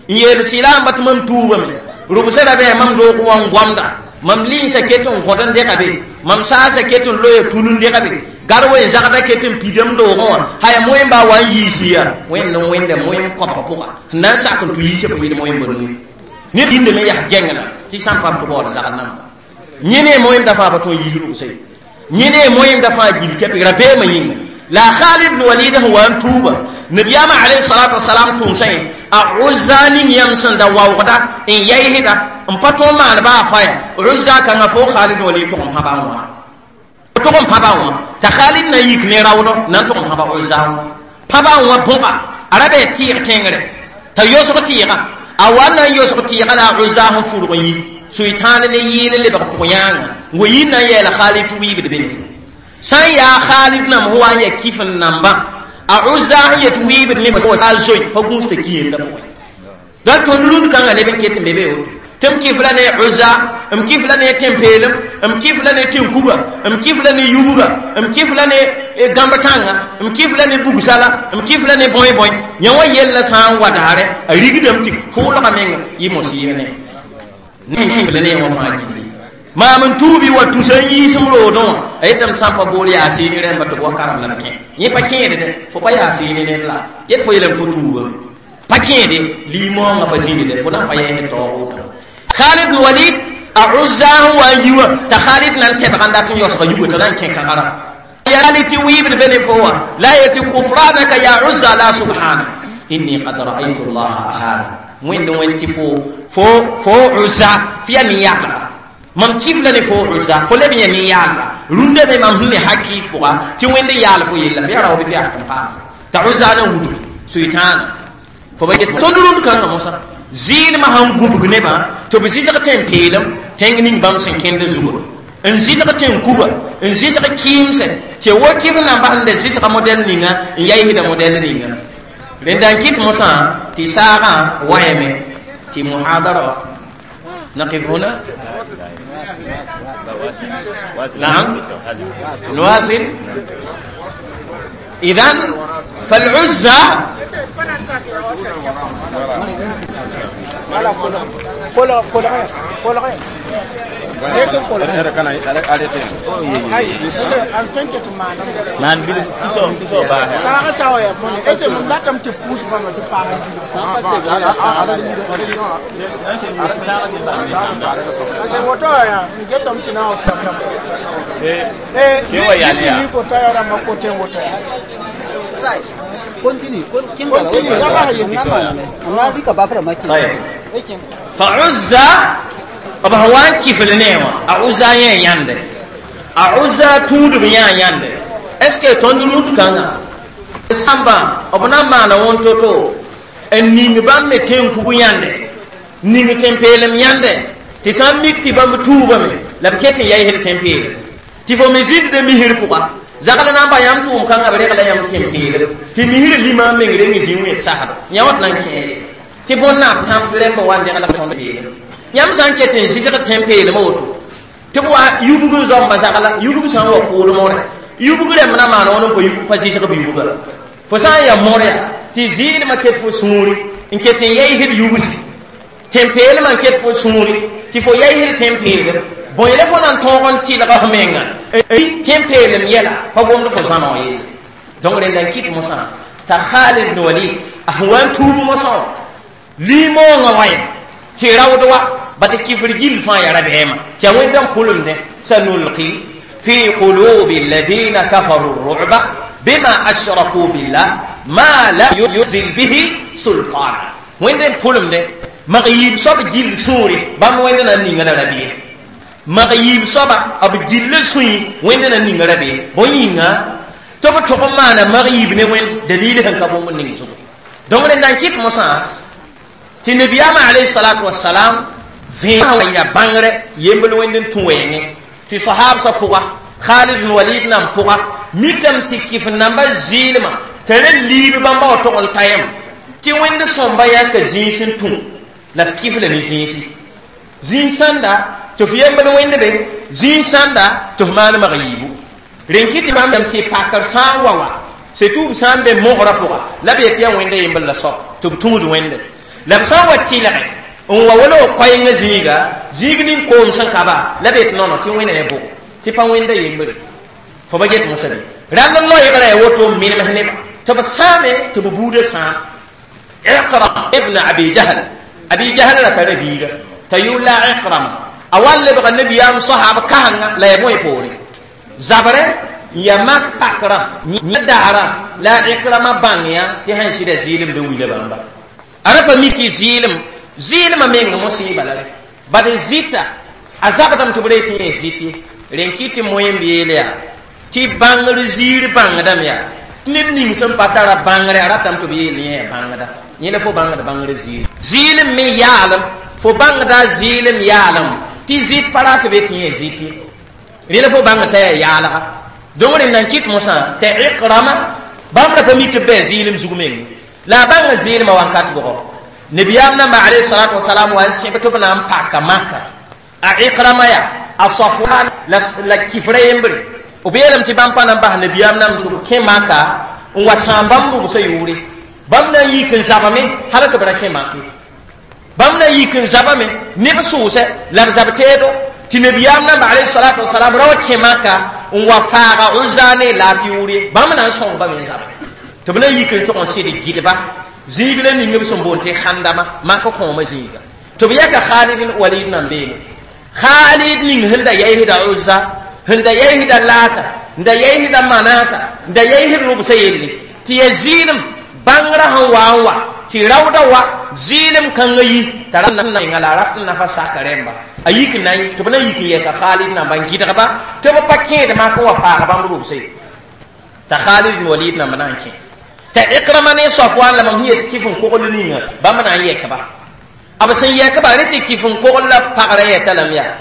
n yeel sɩlaamba tɩ mam tuubame rʋbsã ra bɩ mam doog wã n goamda mam linsã ket n gõd n dega be mam saasã ket n loya tul n dega be gar wen zagda ket n pidem doogẽ wã haya moẽmba wa n yiisi ya wẽnd n wẽnda moẽm kõbg pʋga n na n sak n tʋ yiisã pʋɩd moẽmba nui ned yĩndame yaa gẽngla tɩ sã n pa tʋ baood zagd namba yẽ ne moẽmda fãa pa tõe n yiis rʋbsã ye yẽ ne moẽmda fãa gil kɛpg rabeemã yĩnga la Khalid ibn Walid sẽn wa n tuuba nabiyaamã alayhi salatu wasalam tʋʋmsã yẽ a Uzza ning yãmb sẽn da waoogda n yaɩsda n pa tõog maan baa faya Uzza kãngã fo Khalid ibn Walid tʋg n pãba wã tʋg n pãba wã t'a Khalid na n yik ne raoodɔ na n tʋg n pãba Uzza wã pãba wã bõga a ra bɩ tɩɩg tẽngre t'a yosg tɩɩgã a wa na n yosg tɩɩgã la a Uzza sẽn furg n yi sʋɩtãan ne yɩɩl lebg pʋg-yãanga n wa yir na n yɛɛla Khalid tɩ wiibd be ne sã n yaa Khalid nam sẽn wa n ya kɩf n namba a Uzza sẽn yet wiibd ne a zoe pa gũus t'a ki yenda pʋgẽ donc tõnd rũnd kãngã neb n ket n be be woto tɩ m kɩf la ne Uzza m kɩf la ne tẽn-peelem m kɩf la ne tẽn-kuga m kɩf la ne yubga m kɩf la ne gãmb-tãnga m kɩf la ne bugsala m kɩf la ne bõe-bõe yã wã yella sã n wa daare a rigdame tɩ kʋʋlga meng yɩ mosiir ne ne ne wã fãa gilli maam n tuubi wa tusa n yiisem roodẽ wã a yetame sã n pa bool yaa seeni rẽmba tɩ b wa karem la b kẽ yẽ pa kẽede dɛ fo pa yaa seeni ned la yet fo yeelame fo tuubame pa kẽede liimoongã pa zĩndi dɛ fo na n pa yɛɛsd taoog woto Khalid ibn Walid a Uzza sẽn wa n yi wã t'a Khalid na n tɛbg n dat n yosga yugo t'a na n kẽ kãgara ya tɩ wiibd be ne fo wã la yetɩ kufranaka ya Uzza la subhana inni qad ra'aytu allaha ahana wẽnd wẽnd tɩ fo fo fo Uzza fo yaa nin-yaalga mam kɩf la ne fo Uzza fo leb yẽ nin-yaalga rũndã me mam sẽn ne hakɩɩk pʋga tɩ wẽnd n yaal fo yella fo yaa raood fo yaa n paam t'a Uzza na n wudgi sʋɩtãana fo ba get tõnd rũnd kãngã mosã zɩɩlmã sãn gũbg nebã tɩ b zɩsg tẽn-peelem tẽng ning bãmb sẽn kẽnd zugr n zɩsg tẽn-kuga n zɩsg kɩɩmsɛ tɩ wo kɩf namba sẽn da zɩsga modɛl ninga n yaɩsda modɛl ninga rẽnda n kɩt mosã tɩ saagã waɛme tɩ muhadara نقف هنا نعم نواصل إذن فالعزة فعزة أبهوان كيف لنيما أعزة ياندي أعزة تود بيان ياندي est-ce que tondulu kanga samba obna mana won toto en ning bam me ten kugu yande ning tempelem yande ti sam mikti bam tuuba me la kete yay hel tempele ti fo mizid de mihir puka zagala na ba yam tum kanga be regla yam tempele ti mihir lima me ngre ngi jinwe sahaba nyawat nan ke ti bonna tam lembo wande ala ton be yam san kete zizga tempele mo tɩ b wa yubg zoamba zagla yubg sã n wa kʋʋd moore yubg rẽmb na maan wãn n pa yubg pa zɩsg b yubga fo sã n ya moor yaa tɩ zɩɩdmã ket fo sũuri n ket n yaysd yubsi tẽn-peelmã n ket fo sũuri tɩ fo yaysd tẽn-peelem bõe la fo na n tõog n tɩlga f menga tẽn-peelem yɛla pa gomd fo zãneg yelle donc rẽnda n kɩt mosã t'a Khalid ibn Walid a sẽn wa n tuub mosã wã limoongã wa ya tɩ raood wa bata kifr gill fãa yaa rabeema tɩ a wẽnda n pʋlemdẽ sanulqi fi qulubi alladina kafaru ru'ba bima ashraku billah ma lam yunzil bihi sultana wẽnda n pʋlemdẽ mag yiib soab gill sũuri bãmb wẽnda na n ninga la rabeem mag yiib soaba b gill sũi wẽnda na n ninga rabeem bõe yĩnga tɩ b tʋg n maana mag yiib ne wẽnd dalil sẽn ka bũmb ning zugu donc rẽnda n kɩt mosã tɩ nabiyaamã alayhi salatu wasalam vẽa ya bãngre yembl wẽnd n tũ wɛɛngẽ tɩ sahabsã pʋga Khalid bin Walid nan pʋga mikame tɩ kɩf namba zɩɩlmã t'a ra liib bãmba wa tog n ta yãmb tɩ wẽnd sõmba yaa ka zĩis n tũ la f kɩf la ne zĩisi zĩig sãnda tɩ f yembl wẽnd be zĩig sãnda tɩ f maan mag yiibu rẽn kɩ tɩ bãmb tɩ pakr sã n wa wa surtout b sã n be mogrã pʋga la b yetɩ yaa wẽnda yembl la soab tɩ b tũud wẽnde la b sã n wa tɩlge n wa wala w koɛɛngã zĩiga zĩig ning koom sẽn ka ba la b yet nono tɩ wẽna ya bʋgo tɩ pa wẽnda yembre fo ba get mosã bɩ rall n loeegrã ya woto n menems neba tɩ b sãame tɩ b buudã sãam Ikrama ibn Abi Jahl Abi Jahl ra tara biiga t'a yʋʋr la Ikrama a wa n lebga nabiyaam sahab kasengã la ya bõe poore zabrɛ n ya mak pakrã yã daara la Ikrama bãng yã tɩ sẽn sɩda zɩɩlemd n wila bãmba a ra pa mi tɩ zɩɩlem zɩɩlemã meng mosɩɩba la re bad zɩta a zabdame tɩ b ree tɩ yẽ zɩt ye rẽn kɩ tɩ moẽmb yeel yaa tɩ bãngr ziir bãngdame yaa tɩ ned ning sẽn pa tara bãngre a ratame tɩ b yeel yẽ yaa bãngda yẽ la fo bãngd bãngr ziir zɩɩlem me yaalem fo bãngda zɩɩlem yaalem tɩ zɩt pa rat be tɩ yẽ zɩt ye rẽ la fo bãng t'a yaa yaalga donc rẽnd n kɩt mosã t'a Ikrama bãmb ra pa mik b bɩ zɩɩlem zug meng la a bãnga zɩɩlmã wankat bʋgɔ nabiyaam namba alayhi salatu wasalam wa n sẽb tɩ b na n paka maka a Ikrama yaa a Safwan la kifra yembre b yeelame tɩ bãmb pa na n bas nabiyaam nam tɩ b kẽ maka n wa sãam bãmb rʋbsã yʋʋre bãmb na n yik n zabame hal tɩ b ra kẽ make bãmb na n yik n zabame neb sʋʋsɛ la b zab teedo tɩ nabiyaam namba alayhi salatu wasalam ra wa kẽ maka n wa faaga Uzza ne laat yʋʋre bãmb na n sõng bame n zabe tɩ b na n yik n tʋg n sɩd gɩdba zĩig la ning b sẽn boond tɩ Khandama maka kõoma zĩiga tɩ b yaka Khalid bin Walid nan beene Khalid ning sẽn da yaysda Uzza sẽn da yaysda Laata n da yaysda Manata n da yaysd rʋbsã yelle tɩ ya zɩɩlem bãngrã sẽn wa n wa tɩ raooda wa zɩɩlem kãngã yi t'a ra menga la a rat n nafa saka rẽmba a yik na tɩ b na yik n yɛka Khalid namba n gɩdgba tɩ b pa kẽed mak n wa faag bãmb rʋbsã ye t'a Khalid bin Walid namba na n kẽ t'a Ikrama ne Safwan la mam sẽn yet kɩf n kogl ninga bãmb na n yɛkba b sẽn yɛkba rẽ tɩ kɩf n kogl la pagrã yɛta lame yaa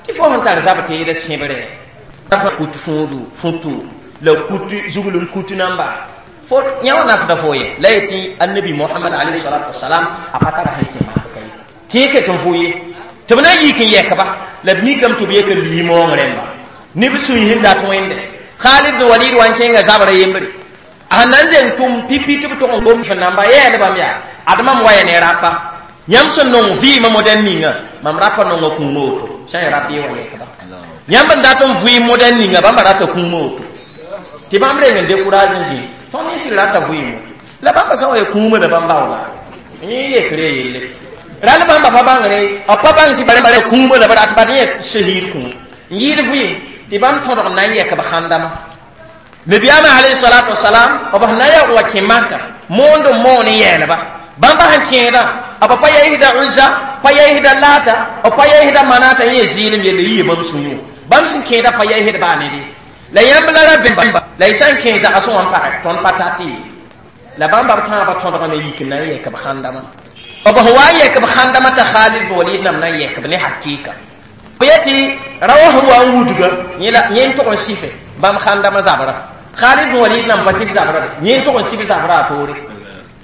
tɩ fo sẽn tar zab teeda sẽbre kut fũudu futu la kut zugl n kut namba fo yã wã nafda fo ye la yetɩ annabi Mohamad alayhi salatu wasalam a pa tara sẽn kẽ mak ka ye kẽe ket n fo ye tɩ b na n yik n yɛkba la b mikame tɩ b yek n limoong rẽmba neb sũy sẽn dat wẽnde Khalid bin Walid wa n kẽnga zabrã yembre a sẽn na n deng tʋm pipi tɩ b tʋg n gom f namba yɛɛlbame yaa ad mam waya ne rapa yãmb sẽn nong vɩɩmã modɛn ninga mam rapa nonga kũuna woto Sã n rabɩ wa yɛkba yãmb n dat n vʋɩ modɛl ninga bãmba rata kũumã woto tɩ bãmb reng n décourage n zĩ tõnd nins rata vʋɩɩmo la bãmba sã n wa ya kũumã la bãmb baoola yẽ yekre yelle rall bãmba pa bãngre b pa bãng tɩ bare kũumã la b rat bad yẽ shahiid kũum n yɩɩd vʋɩɩm tɩ bãmb tõdg n na n yɛk b sãndama nabiyaamã alayhi salatu wasalam b sẽn na n yaoog wa kẽ maka moond n moon n yɛɛlba bãmba sẽn kẽedã b pa yaisda Uzza, pa yaisda Lata, b pa yaisda Manata yẽ zɩɩlem yelle yɩ bãmb sũ-yũ bãmb sẽn kẽedã pa yaisd baa nede la yãmb la ra bẽmba la y sã n kẽ zagsẽ wã n pagɛ tõnd pa tat ye la bãmba b tãabã tõdgame yik n na n yɛk b sãndamã b sẽn wa n yɛk b sãndamã t'a Khalid bin Walid nam na n yɛk b ne hakɩɩka b yetɩ raoã sẽn wa n wudga yẽ n tʋg n sɩfe bãmb sãndamã zabra Khalid bin Walid nam pa sɩf zabra de yẽ n tʋg n sɩf zabra a toore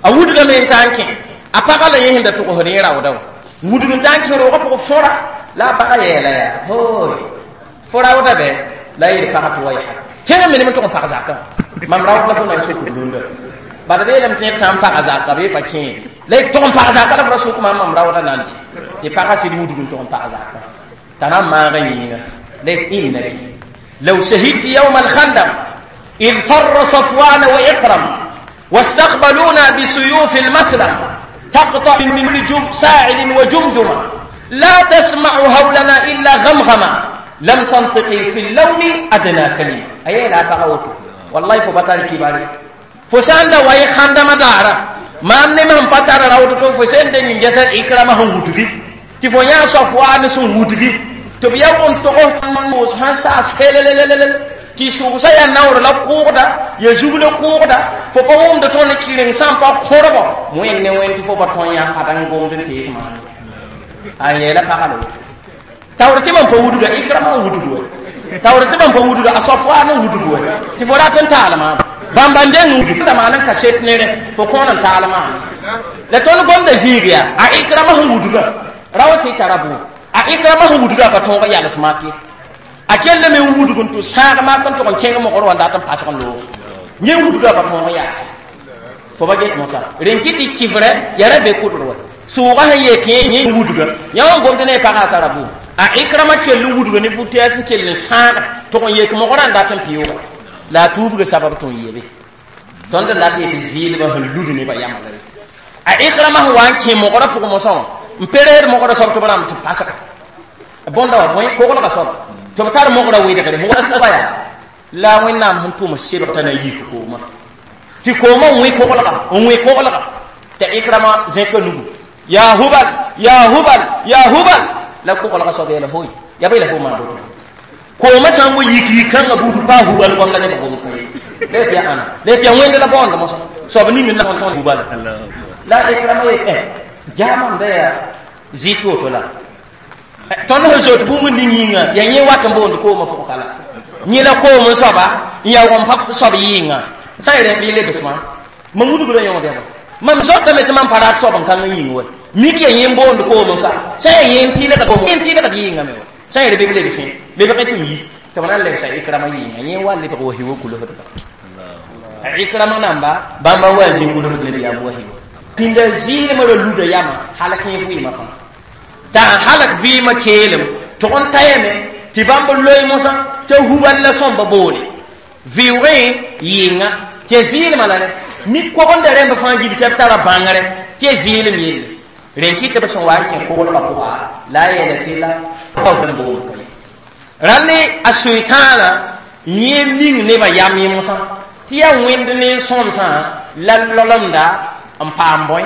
a wudgame n taa n kẽ a pagã la yẽ sẽn da tʋgsd yẽ raooda wã wudg n taa n kẽ roogã pʋgẽ fõra la a pagã yɛɛla yaa hooy fo raooda bɛ la a yeel pagã tɩ wa yaa kẽng me ne m tʋg n pag zakã mam raood la fo na n sokd rũndã bala b yeelame tɩ ned sã n paga zaka bɩ pa kẽede la y tʋg n pag zaka la f ra sʋk mam mam raooda na n dɩ tɩ pagã sɩd wudg n tʋg n pag zaka t'a na n maagã yĩnga la innaki law shahidti yawma alkhandaq إذ فر صفوان وإكرم واستقبلونا بسيوف المسلم تقطع من جم ساعد وجمجمة لا تسمع هولنا إلا غمغمة لم تنطقي في اللوم أدنى كلمة أي لا تغوته والله فبطل كباري فسان دا واي خاندما دارا ما أمني من بطل راوتو فسان دا نجسد إكرامه ودغي تفونيا صفوان سن ودغي تبيا وانتقو سان ساس هللللل tɩ sʋʋgsã yaa naoor la kʋʋgda ya zug la kʋʋgda fo pa wʋmd tõnd kɩreng sã n pa kõrbo wẽnd ne wẽnd tɩ fo pa tõn yã ad n gomd n tees maana a yeela pagã la woto taoor tɩ mam pa wudga Ikrama n wudg we taoor tɩ mam pa wudga a Safwaan n wudg we tɩ fo rat n taal maam bãmba n deng wudg da maan n kaset nere fo kõon n taal maam la tõnd gomda zĩig yaa a Ikrama sẽn wudga rao sɩ tara bʋ a Ikrama sẽn wudga pa tõog yals mak ye a kell me n wudg n tʋ sãag mak n tʋg n kẽng mogr wã dat n pasg n loog yẽ wudga pa tõog yaase fo ba get mosã rẽn kɩ tɩ kɩfrɛ ya ra be kʋdr wa sʋʋgã sẽn yee kẽ yẽ wudga yã wã gomd ne pagã a tara bʋ a Ikrama kell n wudga ne fu-tɛɛs n kell n sãaga tʋg n yek mogrã n dat n pɩʋʋga la a tuubga sabab tɩ n yebe tõnd n dat yetɩ zɩɩlbã sẽn lud nebã yãmb la a Ikrama sẽn wa n kẽ mogrã pʋgẽ mosã wã n pereed mogrã soab tɩ b rãmb tɩ pasga bõnda wa bõe koglgã soaba tɩ b tar mogrã wɩdgre yaa la Wẽnnaam sẽn tʋm sebg t'a na yik koomã tɩ koomã n wẽ koglga n wẽ koglga t'a Ikrama zẽka nugu ya Hubal ya Hubal ya Hubal la koglga soab yeela hoy ya bɩ la fo maan boto koomã sã n wa yik yik-kãngã buud paa Hubal goam la nebã gom kã ye la tɩ ya ãna la tɩ ya wẽnd la baoond mosã soab ning n la tõnd Hubal la Ikrama yet jaamam da yaa zɩt woto la tõnd sẽn zoet bũmb ning yĩnga yaa yẽ wat n boond koomã pʋg ka la yẽ la koom n soaba n yaoog n pa soab yɩɩnga sã n rẽ bɩ lebs maam mam wudgrã yõod yãba mam zoetame tɩ mam pa rat soab n kãng n yĩng wa mik yaa yẽ n boond koom n ka sã n yaa yẽ n tɩɩlgd yɩɩngame wa sã n yel bɩ b lebsẽ lebg tɩ m yi tɩ b na n lebsa Ikrama yɩɩnga yẽ wa lebg wa hiwa kulsdba a Ikrama namba bãmba wa zĩ kulsd nabiyaam wa hiwa pĩnda zɩɩlmã ra luda yama halak yẽ vɩɩmã fãa t'a halak vɩɩmã keelem tʋg n tayame tɩ bãmb loe mosã t'a Hubal la sõmba boole vɩʋgẽ yɩɩnga tɩ zɩɩlmã la rẽ mik kogenda rẽmb fãa gil tɩ b tara bãngre tɩ ya zɩɩlem yelle rẽn kɩ tɩ b sẽn wa n kẽ koglgã pʋga la a yeela tɩ la n boond ka ye rãnd a soetãana yẽ ning nebã yam yẽ mosã tɩ yaa wẽnd ne sõmsã la lolemda n paam bõe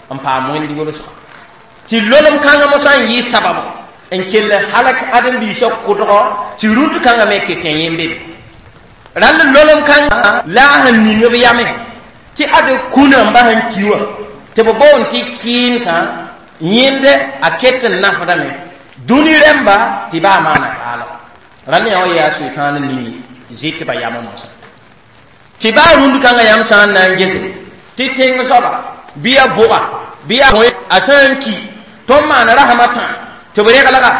n paam wẽnd yʋlsga tɩ lolem kãngã mosã n yɩ sabab n kell halak ãdem-biisã kʋdgɔ tɩ rũnd kãngã me ket yẽ be rãnd lolem kãngã la a sẽn ning b yame tɩ ad kũnã n bas n ki wã tɩ b boond tɩ kɩɩmsã yẽnd a ket n nafdame dũni rẽmba tɩ baa maana kaala rãnd yã wã yaa soetãan ning zɩt ba yamã mosã tɩ baa rũnd kãngã yãmb sã n na n gese tɩ tẽng soaba bɩ ya bʋga bɩ ya a sã n ki tõnd maan rasmã tã tɩ b reglga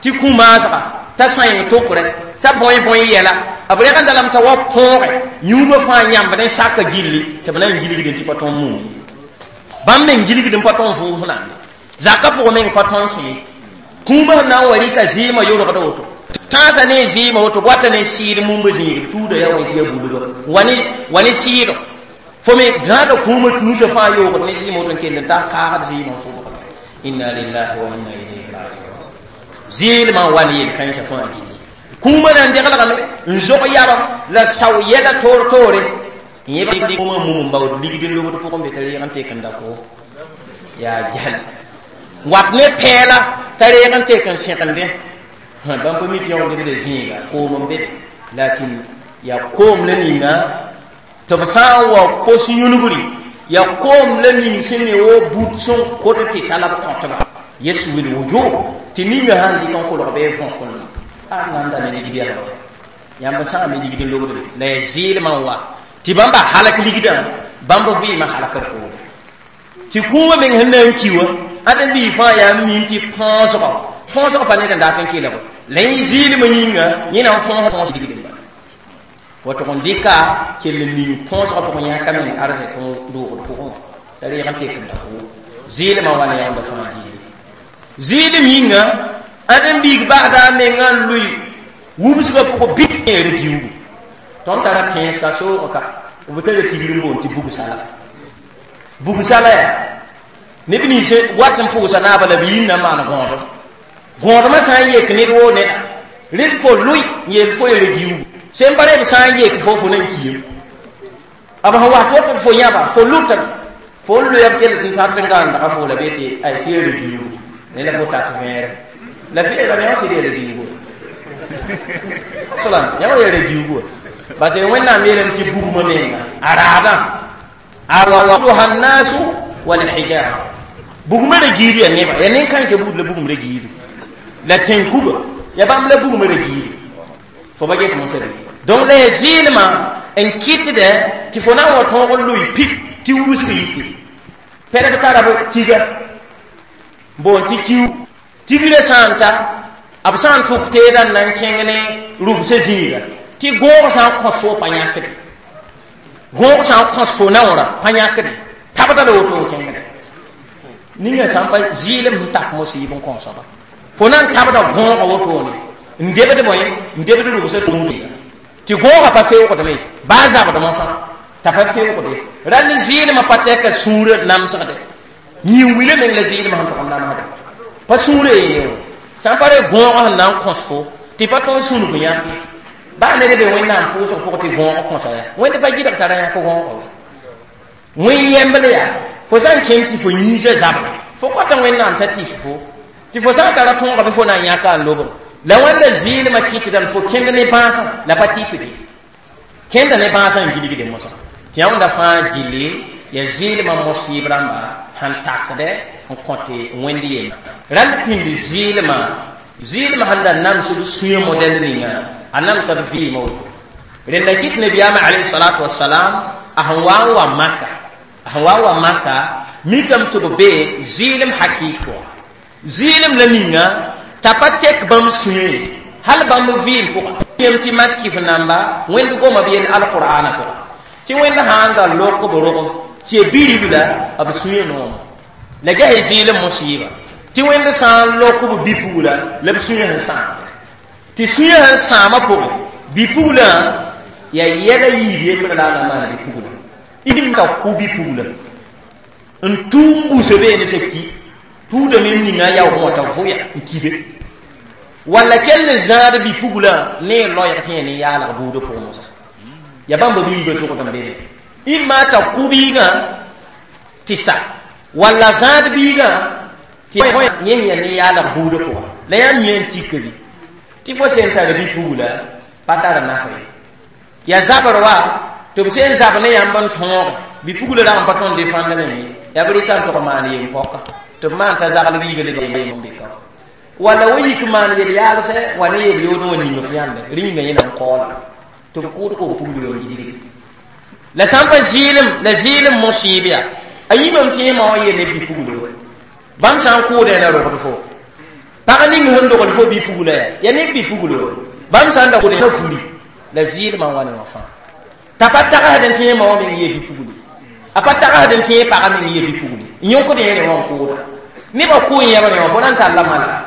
tɩ kũ maasga t'a sãyeng tokrẽ t'a bõe bõe yɛla b regenda lame t'a wa põoge yũubã fãa yãmb ne saka gilli tɩ b na n gilgd tɩ pa tõn muum bãmb meng gilgd n pa tõn vʋʋs nande zakã pʋgẽ meng pa tõn kẽ Kũumã sẽn na n wa rɩka zɩɩmã yorgda woto tãasa ne zɩɩmã woto wata ne sɩɩd mumba zĩig tuuda yaa wẽ tɩ yaa bulga wa ne sɩɩdo fo me zãada kũumã nusã fãa yoogd ne zɩɩmã woto n kell n tar kaagd zɩɩmã n fʋbgda inna lillahi wa inna ilayhi rajiun zɩɩlmã n wa ne yel-kãensã fãa gilli kũumã na n deglgame n zog yabam la sao yɛla toor toore yẽ kũumã mum n baood ligd n lobd pʋgẽ be t'a reeg n tek n da ko yaa gɛl wat ne pɛɛla t'a reeg n tek n sẽgendẽ bãmb pa mi tɩ yõ debda zĩiga koom n be be lakin yaa koom la ninga tɩ b sã n wa kos yũnugri yaa koom la ning sẽn ne wo but sẽn kot tɩ ta la b kõtba yeswil wujuh tɩ ninga sãn dɩk n kolg bɩ võkn a nan da ne ligd yaa yãmb sãame ligd n lobd be la yaa zɩɩlmã n wa tɩ bãmba halak ligdã bãmb vɩɩmã halakd poore tɩ kũumã meng sẽn na n ki wã ãd n bii fãa yaa min tɩ põosgɔ põosg pa ned n dat n kelg la yẽ zɩɩlmã yĩnga yẽ na n fõos tõos ligd n bala wa tʋg n dɩka kell n ning põosgã pʋgẽ yãka meng arzɛk n doogd pʋgẽ wã t'a reeg n tek n da ko zɩɩlmã wa ne yãmba fãa gilli zɩɩlem yĩnga ãd n biig basda a mengã n lʋɩ wubsgã pʋgẽ bɩ yẽera giugu tõnd tara tẽns ka soog ka b tara tigr n boond tɩ bugsala bugsala yaa neb nins wat n pʋʋsa naaba la b yĩnda n maan gõodem gõodmã sã n yek ned woo neda red fo lʋɩ n yeel fo yere giugu sẽn pa reb sã n yek fo fo na n kiim b sẽn wat woto fo yãba fo lʋtame fo n loya b kell n tar tɩ n gãndga fo la be tɩ ay tɩ yere giugu ne la fo tat vẽere la feera yã sɩd yere giugu salam yã wa yere giugu parce que wẽnnaam yeelame tɩ bugmã menga a raadã awaduha nnasu walhijara bugmã ra giid yaa neba yaa nen-kãensã buud la bugum ra giidu la tẽn-kuga yaa bãmb la bugmã ra giidu fo ba get mosã donc la yaa zɩɩlmã n kɩtdɛ tɩ fo na n wa tõog n loe pip tɩ wubsg yiki pɛlg tara b tiga n boond tɩ kiu tigrã sã n ta b sã n tʋk teedã n na n kẽng ne rʋbsã zĩiga tɩ gõog sã n kõs fo pa yãkde gõog sã n kõs fo naoorã pa yãkde tabda la woto n kẽngde ninga sã n pa zɩɩlem sẽn tak mosɩɩb n kõsaba fo na n tabda gõoga wotone n debd bõe n debd rʋbsã tũudga tɩ gõoga pa feoogdme baa zabdmã fãa t'a pa feoogde rall zɩɩlmã pa tɛka sũurã namsgde yĩn-wilã meng la zɩɩlmã sẽn tʋg n namsde pa sũurã ye wã sã n pa re gõogã sẽn na n kõs fo tɩ pa tõe n sũnug yãk baa ned be wẽnnaam pʋʋsg pʋgẽ tɩ gõog kõsa yaa wẽnd pa gɩdg tara yãk gõoga we wẽn yẽmbl yaa fo sã n kẽng tɩ fo yĩnsã zabga fo kõta wẽnnaam t'a tɩk fo tɩ fo sã n tara tõoga bɩ fo na n yãka n lobg la wẽnda zɩɩlmã kɩtdame fo kẽnd ne bãasã la pa tɩpde kẽnda ne bãasã n gilgde mosã tɩ yãmda fãa gilli yaa zɩɩlmã mosɩɩb rãmba sẽn takdɛ n kõte wẽnd yemba rall pĩnd zɩɩlmã zɩɩlmã sẽn da namsd sũyã modɛl ninga a namsa b vɩɩmã woto rẽnda kɩt nabiyaamã alayhi salatu wasalam a sẽn wa n wa maka a sẽn wa n wa maka mikame tɩ b be zɩɩlem hakɩɩk pʋga zɩɩlem la ninga t'a pa tek bãmb sũyã ye hal bãmb vɩɩm pʋga yem tɩ mak kɩf namba wẽnd goma b yel alqur'ana pʋga tɩ wẽnd sã n da lok b rogem tɩ ya biribla b sũyã nooma la ges zɩɩlem mosɩɩba tɩ wẽnd sã n lok b bi-pugla la b sũyã sẽn sãamde tɩ sũyã sẽn sãamã pʋgẽ bi-puglã yaa yɛla yiib yembr la a na maan bi-pugla im ka kʋ bi-pugla n tʋʋm busa beene t'a ki tuudame n ninga yaoog wã t'a vʋya n kibe walla kell n zãad bi-pugla ne loɛɛg tɩ yẽ ne yaalg buudã pʋgẽ mosã ya bãmba biigã sogd n be imma t'a kʋ biigã tɩ sa walla zãad biigã tɩ yẽ ya ne yaalg buudã pʋga la yaa mi n tika bi tɩ fo sẽn tar bi-pugla pa tar naf ye yaa zabr wa tɩ b sẽn zab ne yãmb n tõoge bi-pugla rag n pa tõnd defãndame ye yaa b rɩta n tʋg maan yem-pɔka tɩ b maan t'a zagl biiga leb n be ka walla wa yik maan yel yaalsɛ wa ne yel yoodẽ wã ning f yãmbe rẽ yĩnga yẽ na n kaoola tɩ b kʋʋd ko b pugl yo n gilgde la sã n pa zɩɩlem la zɩɩlem mosɩɩb yaa a yĩmame tɩ yẽma wã yel ne bi-puglo bãmb sã n kʋʋdẽ na rogd fo pag ning sẽn dogl fo bi-pugla yaa yaa ne bi-puglo bãmb sã n da kʋʋdẽ na furi la zɩɩlmã n wa ne wã fãa t'a pa tagsd n tɩ yẽma wã meng yee bi-pugli a pa tagsd n tɩ yẽ pagã meng yee bi-pugli n yõkd yẽ ne wã n kʋʋda nebã kʋ n yẽbr wã fo na n talla malga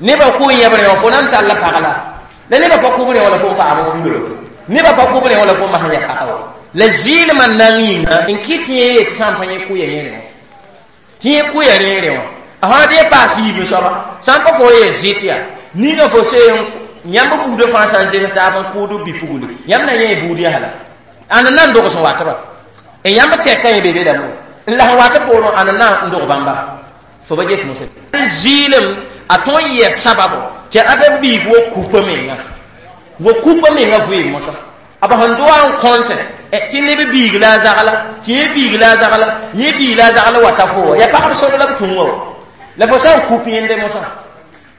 Nebã kʋ yẽbre wã fo na n tall pag la la nebã pa kʋb rẽ wã la fo n paam fugre nebã pa kʋb rẽ wã la fo n mas n ya pagã wa la zɩɩlmã nang yĩnga n kɩt yẽ yee tɩ sã n pa yẽ kʋ ya yẽre wã tɩ yẽ kʋ ya rẽere wã a sã dee paas yiib n soaba sã n pa fo yee zɩt yaa ninga fo seen yãmb buudã fãa sã n zems taab n kʋʋd bi-pugli yãmb na yẽ buud yaa la ãnd na n dogs n watba n yãmb tɛka yẽ be belame n la sẽn wat poorẽ ãnd na n dog bãmba fo ba get mosã zɩɩlem a tõe n yɛ sababo tɩ ãdem biig wa kupa menga wa kupa menga vɩɩm mosã a b sẽn doa n kõntẽ tɩ neb biig la a zagla tɩ yẽ biig la a zagla yẽ biig la a zagla wa ta fo wa yaa pagb sor la b tũ wa la fo sã n kup yẽnde mosã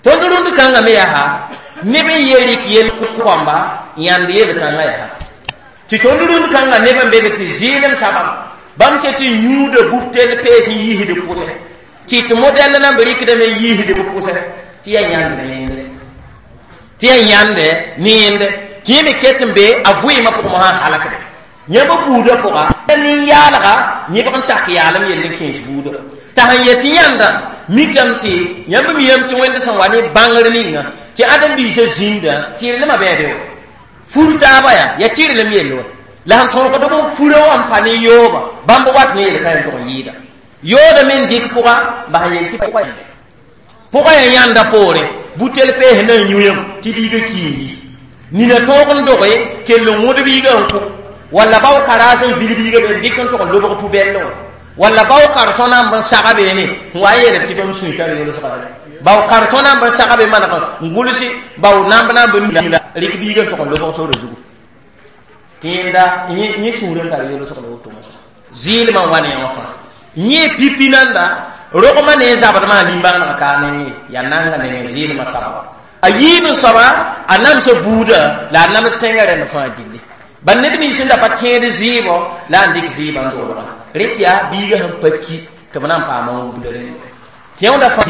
tõnd rũnd kãngã me yaa neb n ye rɩk yel kõmba yãnd yel-kãngã yaa tɩ tõnd rũnd kãngã neb n be be tɩ zɩɩlem sabab bãmb ket tɩ yũuda bub-tell pees n yiisd b pʋsẽ tɩ tɩ modɛl na n b rɩkdame n yiisd b pʋsẽ tɩ yaa yãnd ne yẽndre tɩ yaa yãnde ne yẽnde tɩ yẽ me ket n be a vɩɩmã pʋgẽ mosã n halakde yãmb buudã pʋga nin-yaalga yẽbg n tak yaalem yell n kẽes buudã t'a sẽn yet tɩ yãnda mikame tɩ yãmb miyame tɩ wẽnd sẽn wa ne bãngr ninga tɩ ãdem-biisã zĩndã tɩrlmã bɛɛbe wa fur taaba yaa yaa tɩrlem yell wa la sẽn tõogd b n furã wã n pa ne yooba bãmb wat ne yel-kã n tʋg n yɩɩda yooda me n dɩk pʋga bas n yel tɩ pʋga yaa yãnda poorẽ butel pees na n yũ-yam tɩ biigã kiigi nina tõog n doge kell n wõd biigã n kʋ walla bao karaas n vil biigã be n dɩk n tʋg n lobg pubɛll wã walla bao kartõ na n b saga beene n wa n yeelb tɩ bãmb sũy tar yolsga bao kartõ na n b saga be maneg n gʋlsi bao namb na n b la rɩk biigã n tʋg n lobg sore zugu tɩ yẽnda yẽ sũur n tar yolsg la woto mosã zɩɩlmã n wa ne wã fãa yẽ pipi nanda rogmã ne zabdmã lim-bãnegã ka ne yaa nanga ne zɩɩlmã sababa a yiib n soaba a namsa buudã la a nams tẽngã rẽnd fãa gilli bal neb nins sẽn da pa tẽed zɩɩbɔ la n dɩk zɩɩbã n dolga rẽ tɩ yaa biigã sẽn pa ki tɩ b na n paama wubda rẽnd tɩ yẽwda fãa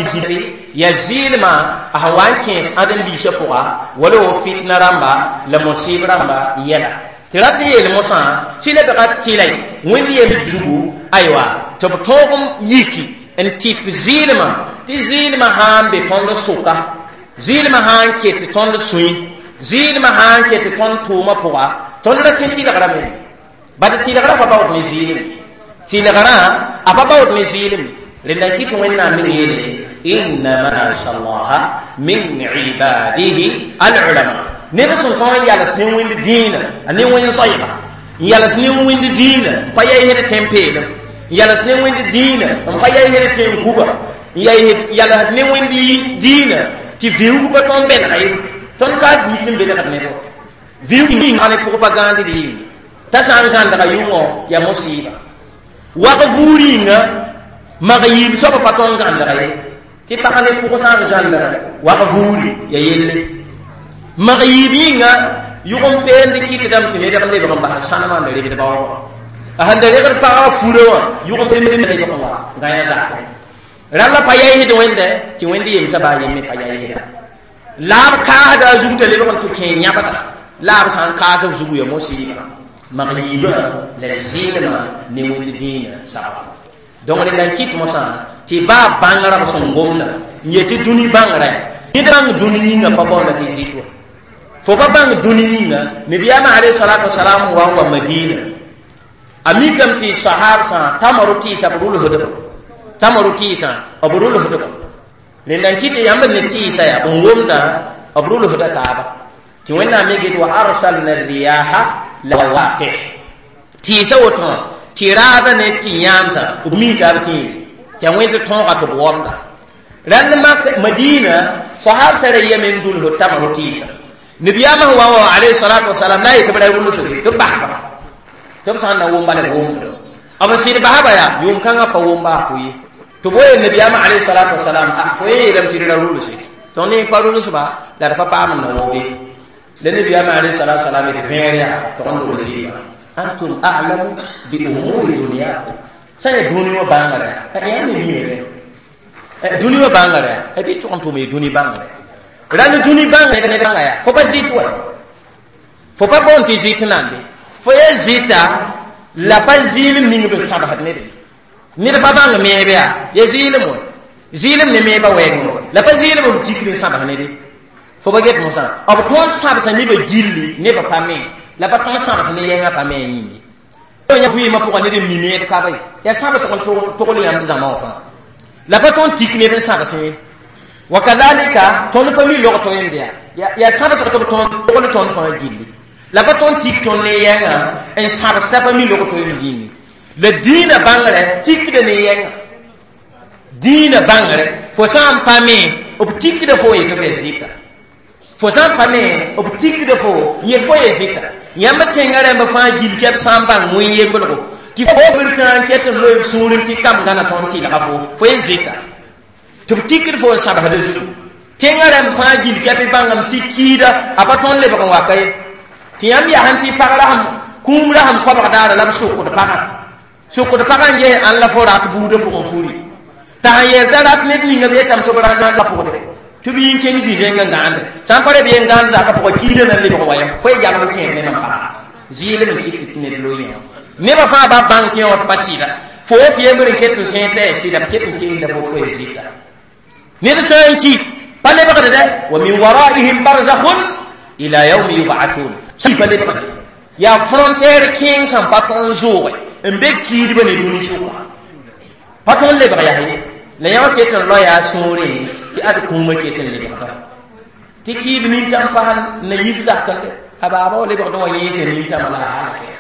yaa zɩɩlmã a sẽn wa n kẽes ãdem-biisã pʋga wala wo fitna rãmba la mosɩɩb rãmba yɛla tɩ rat n yeel mosã tɩ lebga tɩlay wẽnd yem zugu aywa tɩ b tõog n yiki n tɩp zɩɩlmã tɩ zɩɩlmã sã n be tõnd sʋka zɩɩlmã sã n ket tõnd sũy zɩɩlmã sã n ket tõnd tʋʋmã pʋga tõnd ra tẽ tɩlgrã me bad tɩlgrã pa baood ne zɩɩlem tɩlgrã a pa baood ne zɩɩlem rẽnda n kɩt wẽnnaam meng yeele innama yakhsha allaha min ibadihi alulama neb sẽn tõog n yals ne wẽnd dĩinã a ne wẽnd soɛɛga n yals ne wẽnd dĩinã n pa yaisd tẽn-peelem n yals ne wẽnd dĩinã n pa yaisd tẽn-kuga n yalsd ne wẽnd dĩinã tɩ vĩug pa tõnd bẽnega ye tõnd ka dĩit n belgd neb vĩug yĩnga ne pʋg pa gãandd yĩnga t'a sã n gãndga yʋngõ yaa mosɩɩba wag buur yĩnga mag yiib soaba pa tõnd gãndga ye tɩ pag ne pʋg sã n gãndga wag buuri ya yelle mag yiib yĩnga yʋg n peend kɩtdame tɩ nedg n lebg n bas sãnemã n regd baoogã a sẽn da regd pagã furã wã yʋg n peend lebg n wa gãyã zakẽ rãmba pa yaisd wẽnde tɩ wẽnd yemsã baa yem me pa yaisda la b kaasda a zug t'a lebg n tɩ kẽ yãbda la b sã n kaas b zugu ya mosɩɩba mag yiibã la zɩɩlmã ne wẽnd dĩinã sababa donc rẽnda n kɩt mosã tɩ baa bãngrã b sẽn gomda n yetɩ dũni bãngrã ned bãng dũni yĩngã pa baoonda tɩ zɩt wa fo pa bãng dũni yĩnga nabiyaamã alayhi salatu wasalam wa n wa madina a mikame tɩ sahab sã tamaro tɩɩsa b rʋlsdba tamaro tɩɩsã b rʋlsdba rẽnda n kɩt yãmb ne tɩɩsa yaa b womda b rʋlsda taaba tɩ wẽnnaam me get wa arsalna riyaha lawaqih tɩɩsa woto wã tɩ raada ne tɩ yãamsã b mii taab tẽere tɩ a wẽnd tõoga tɩ b womda rãnd madina sahab sã ra yame n dulsd tamaro tɩɩsa nabiyaamã sẽn wa n wa alayhi salatu wasalam la a yetɩ b ra rʋlsd tɩ b basba tɩ b sã n na wʋm bala b wʋmdo b n sɩd basba yaa yʋʋm kãngã pa wʋm baa fo ye tɩ b wa yel nabiyaamã alayhi salatu wasalam fo yẽ yeelame tɩ d ra rʋlse tõnd ne pa rʋlsba la d pa paam n na wooge la nabiyaamã alayhi salatu wasalam d vẽer yaa tɩ n rʋlsɩba antum a'lamu bi umuri dunyakum sã ya dũni wã bãngrã yaa me miime dũni wã bãngrã bɩ tʋg n tʋm dũni bãngrã rãnd dũni bãngrã yaa fo pa zɩt wa fo pa boond tɩ zɩt nambe fo ya zɩta la pa zɩɩlem ning b sãbsd ned ned pa bãng meeb yaa ya zɩɩlem wa Zɩɩlem ne meeba wɛɛgẽ la pa zɩɩlem b tikd n sãbs ne de fo ba get mosã b tõnd sãbsa nebã gilli nebã pa me la pa tõnd sãbs ne yɛngã pa me a yĩng ye vɩɩmã pʋgã ned n mi meed ka be yaa sãbsg n togl yãmb zãma wã fãa la pa tõnd tik ned n sãbs ye wa kadhalika tõnd pa mi log tõe n bɩa yaa sãbsg tɩ b tõnd togl tõnd fãa gilli la pa tõnd tik tõnd ne yɛngã n sãbs t'a pa mi log tõe n zĩngi la dĩinã bãngrɛ tikda ne yɛngã dĩinã bãngre fo sã n pa me b tikda fo yetɩ f ya zɩta fo sã n pa me b tikda fo yet fo ya zɩta yãmb tẽngã rãmb fãa gil kɛb sã n bãng wẽn yemblgo tɩ fo b tã n ket n loe b sũurẽ tɩ kam gãna tõnd tɩlga fo fo ye zɩta tɩ b tikd fo n sãbsda zugu tẽngã rãmb fãa gil kɛb bãngame tɩ kiida a pa tõnd lebg n waka ye tɩ yãmb yasẽn tɩ pag rasem kũum rasem koabg daara la b sʋkd pagã sʋkd pagã n ges ãn la fo rat buudã pʋgẽ furi t'a sẽn yeel t'a rat ned ninga b yetame tɩ b ra pʋgde tɩ b yĩn kẽng zĩ-zẽng n gãande sã n pa ra b yen gãand zakã pʋgã kiidã na n lebg n wa yã fo y yalg kẽer ne mam paga zɩɩlem n kɩt tɩ ned loe yã nebã fãa ba bãng tɩ yã pa sɩda fo f yembr n ket n kẽer t'a ya sɩda b ket n keenda fo fo ya zɩta ned sã n ki pa lebgd dɛ wa min waraihim barzakhun ila yaumi yub'athun pa lebgde yaa frontière kẽeng sẽn pa tõnd zʋʋge n be kiidbã ne dũni sʋka pa tõnd lebg yaa ye la yãmb ket n loa yaa sũurẽ tɩ ad kũumã ket n lebgda tɩ kiib nintãm pas na yif zakende a baaba wa lebgd wã yẽese nintãmã la a halake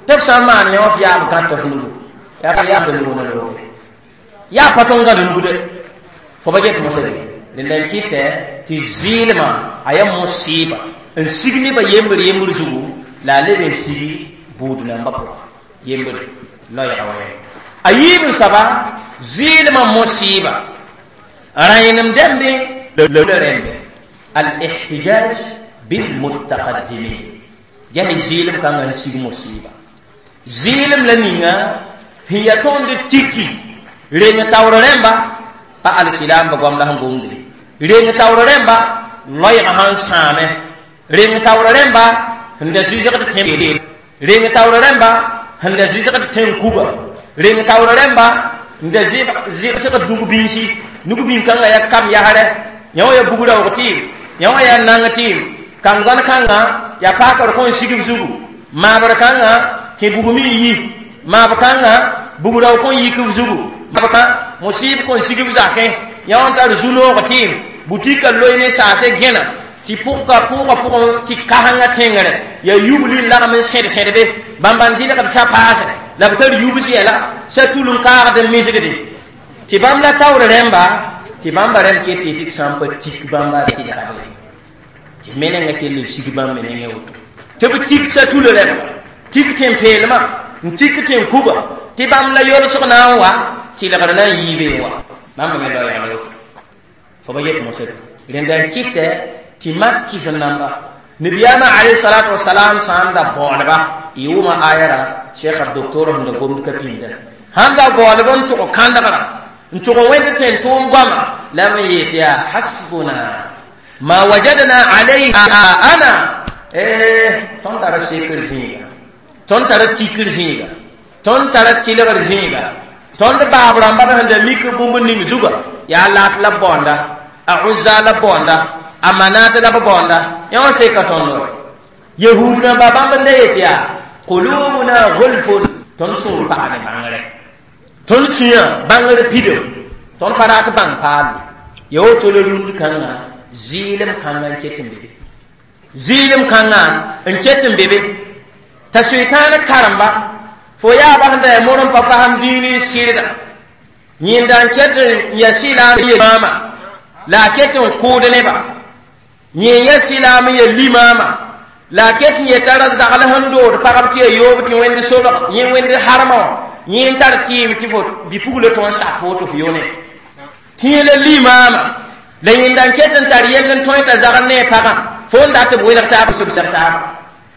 tɩ b sã n maan yã f yaab gãt f nugu yaa yaabd nugu na looge yaa pa tõnd gãd nugde fo ba get mosã rẽnda n kɩtɛ tɩ zɩɩlmã a yaa mosɩɩba n sig nebã yembr yembr zugu la a leb n sigi buud nambã pʋga yembr loɛɛga wa yɛ a yiib n soaba zɩɩlmã mosɩɩba rãenem dɛmbe la rẽmbe al-ihtijaj bilmutaqaddimin yaa zɩɩlem kãngã n sig mosɩɩba zɩɩlem la ninga sẽn yaa tõnd tiki reng taoor rẽmba pa alsilaamba goam la sẽn gomde reng taoor rẽmba loɛɛgã sãn sãame reng taoor rẽmba sẽn da zɩsgd tẽ reng taoor rẽmba sẽn da zɩsgd tẽn kuga reng taoor rẽmba n da zɩsgd nug-bĩnsi nug-bĩn-kãngã yaa kam yasrɛ yã wã yaa bug-raoog tɩɩm yã wã yaa nang tɩɩm kãng-gãn kãngã yaa paakr kõn sigb zugu maabr kãngã kẽ bugmi n yi maab kãngã bug-raoog kõn yik b zugu maab kã musib kõn sigb zakẽ yã wã n tar zu-noog tɩɩm butikã loe ne saase gẽna tɩ pʋgka pʋʋgã pʋgẽ tɩ kasengã tẽngre yaa yubli n lagm n sẽd sẽdbe bãmb n dɩlgd sa paasre la b tar yubs yɛla sa tul n kaagd n misgde tɩ bãmb la taoor rẽmba tɩ bãmba rẽmb ket tɩ tɩ sã n pa tik bãmba tɩlgd tɩ menengã kell n sig bãmb me nengẽ woto tɩ b tik sa tula rẽmba tik tẽn-peelmã n tik tẽn-kuga tɩ bãmb la yolsg na n wa tɩlgr na n yiibe n wa bãmb me loɛɛgã woto fo ba yet mosã rẽnda n kɩtɛ tɩ mak kɩs n namba nabiyaamã alayhi salatu wasalam sã n da baoodba y wʋma ayara cheikh docteur sẽn da gomd ka pĩnda sãn da baoodb n tʋg kãndgrã n tʋg wẽnd tẽn tʋʋm goama la b n yeel tɩ yaa hasbuna ma wajadna alayhi ana tõnd tara sekr zĩiga tõnd tara tikr zĩiga tõnd tara tɩlgr zĩiga tõnd baab rãmba sẽn da mik bũmb ning zuga yaa laat la b baoonda a uzza la b baoonda a manat la b baoonda yã wã seka tõnd wɛ yahud rãmba bãmb n da yet yaa qulubuna gulfun tõnd sũur pagd bãngre tõnd sũyã bãngr pidem tõnd pa rat bãng paalde ya woto la rũnd kãngã zɩɩlem kãngã n ket n be zɩɩlem kãngã n ket n be be t'a sʋɩtãan karemba fo yaaba sẽn da yaa mor n pa fasem dĩin n sɩrda yẽnda n ket n ya sɩlaam ye maama la a ket n kʋʋd neba yẽ ya sɩlaam n ya limaama la a ket n yeta ra zagl sẽn dood pagb tɩ ya yoob tɩ wẽnd sobg yẽ wẽnd harmã wã yẽ n tar tɩɩm tɩ fo bɩ-pugla tõe n sak fo tɩ f yone tɩ yẽ la limaama la yẽnda n ket n tar yell n tõe t'a zagl ne a pagã fo n dat b welg taab sʋbsg taaba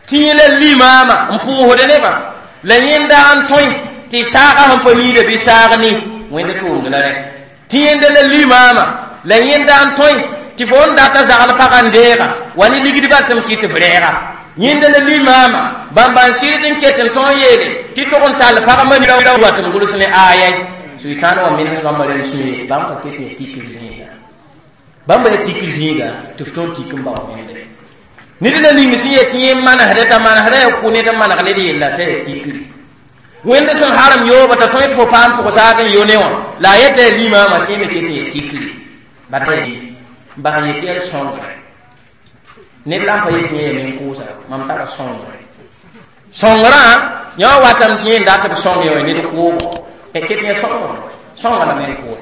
tɩ yẽ la limaama n pʋʋsd nebã la yẽnda n tõe tɩ saagã sẽn pa niida bɩ saag ne wẽnd tʋʋmd la rẽ tɩ yẽnda la limaama la yẽnda n tõe tɩ fo n data zagl pagã n deega wa ne ligdbã tɩ m kɩt f rɛɛga yẽnda la limaama bãmba n sɩd n ket n tõog yeele tɩ tog n tall pagmã wa tɩ m gʋls ne aayay Sʋɩtãan wã menes bãmba rẽnd sũye bãmb ka ket ya tikr zĩiga bãmb ya tikr zĩiga tɩ f tõnd tik n bao wẽnde ned la ning sẽn yet yẽ manesdɛ t'a manesdã ya kʋ ned n maneg ned yella t'a ya tikri wẽnd sẽn harem yooba t'a tõe tɩ fo paam pʋgsaag n yo ne wã la a yeta ya limaamã tɩ yẽ me ket n ya tikri bad bas n yetɩ ya sõngre ned la n pa yetɩ yẽ ya nin-kʋʋsa mam tara sõngre sõngrã yã wã watame tɩ yẽ n dat b sõng yã wã ned kʋʋgo ket yã sõngr sõnga la me n kʋʋ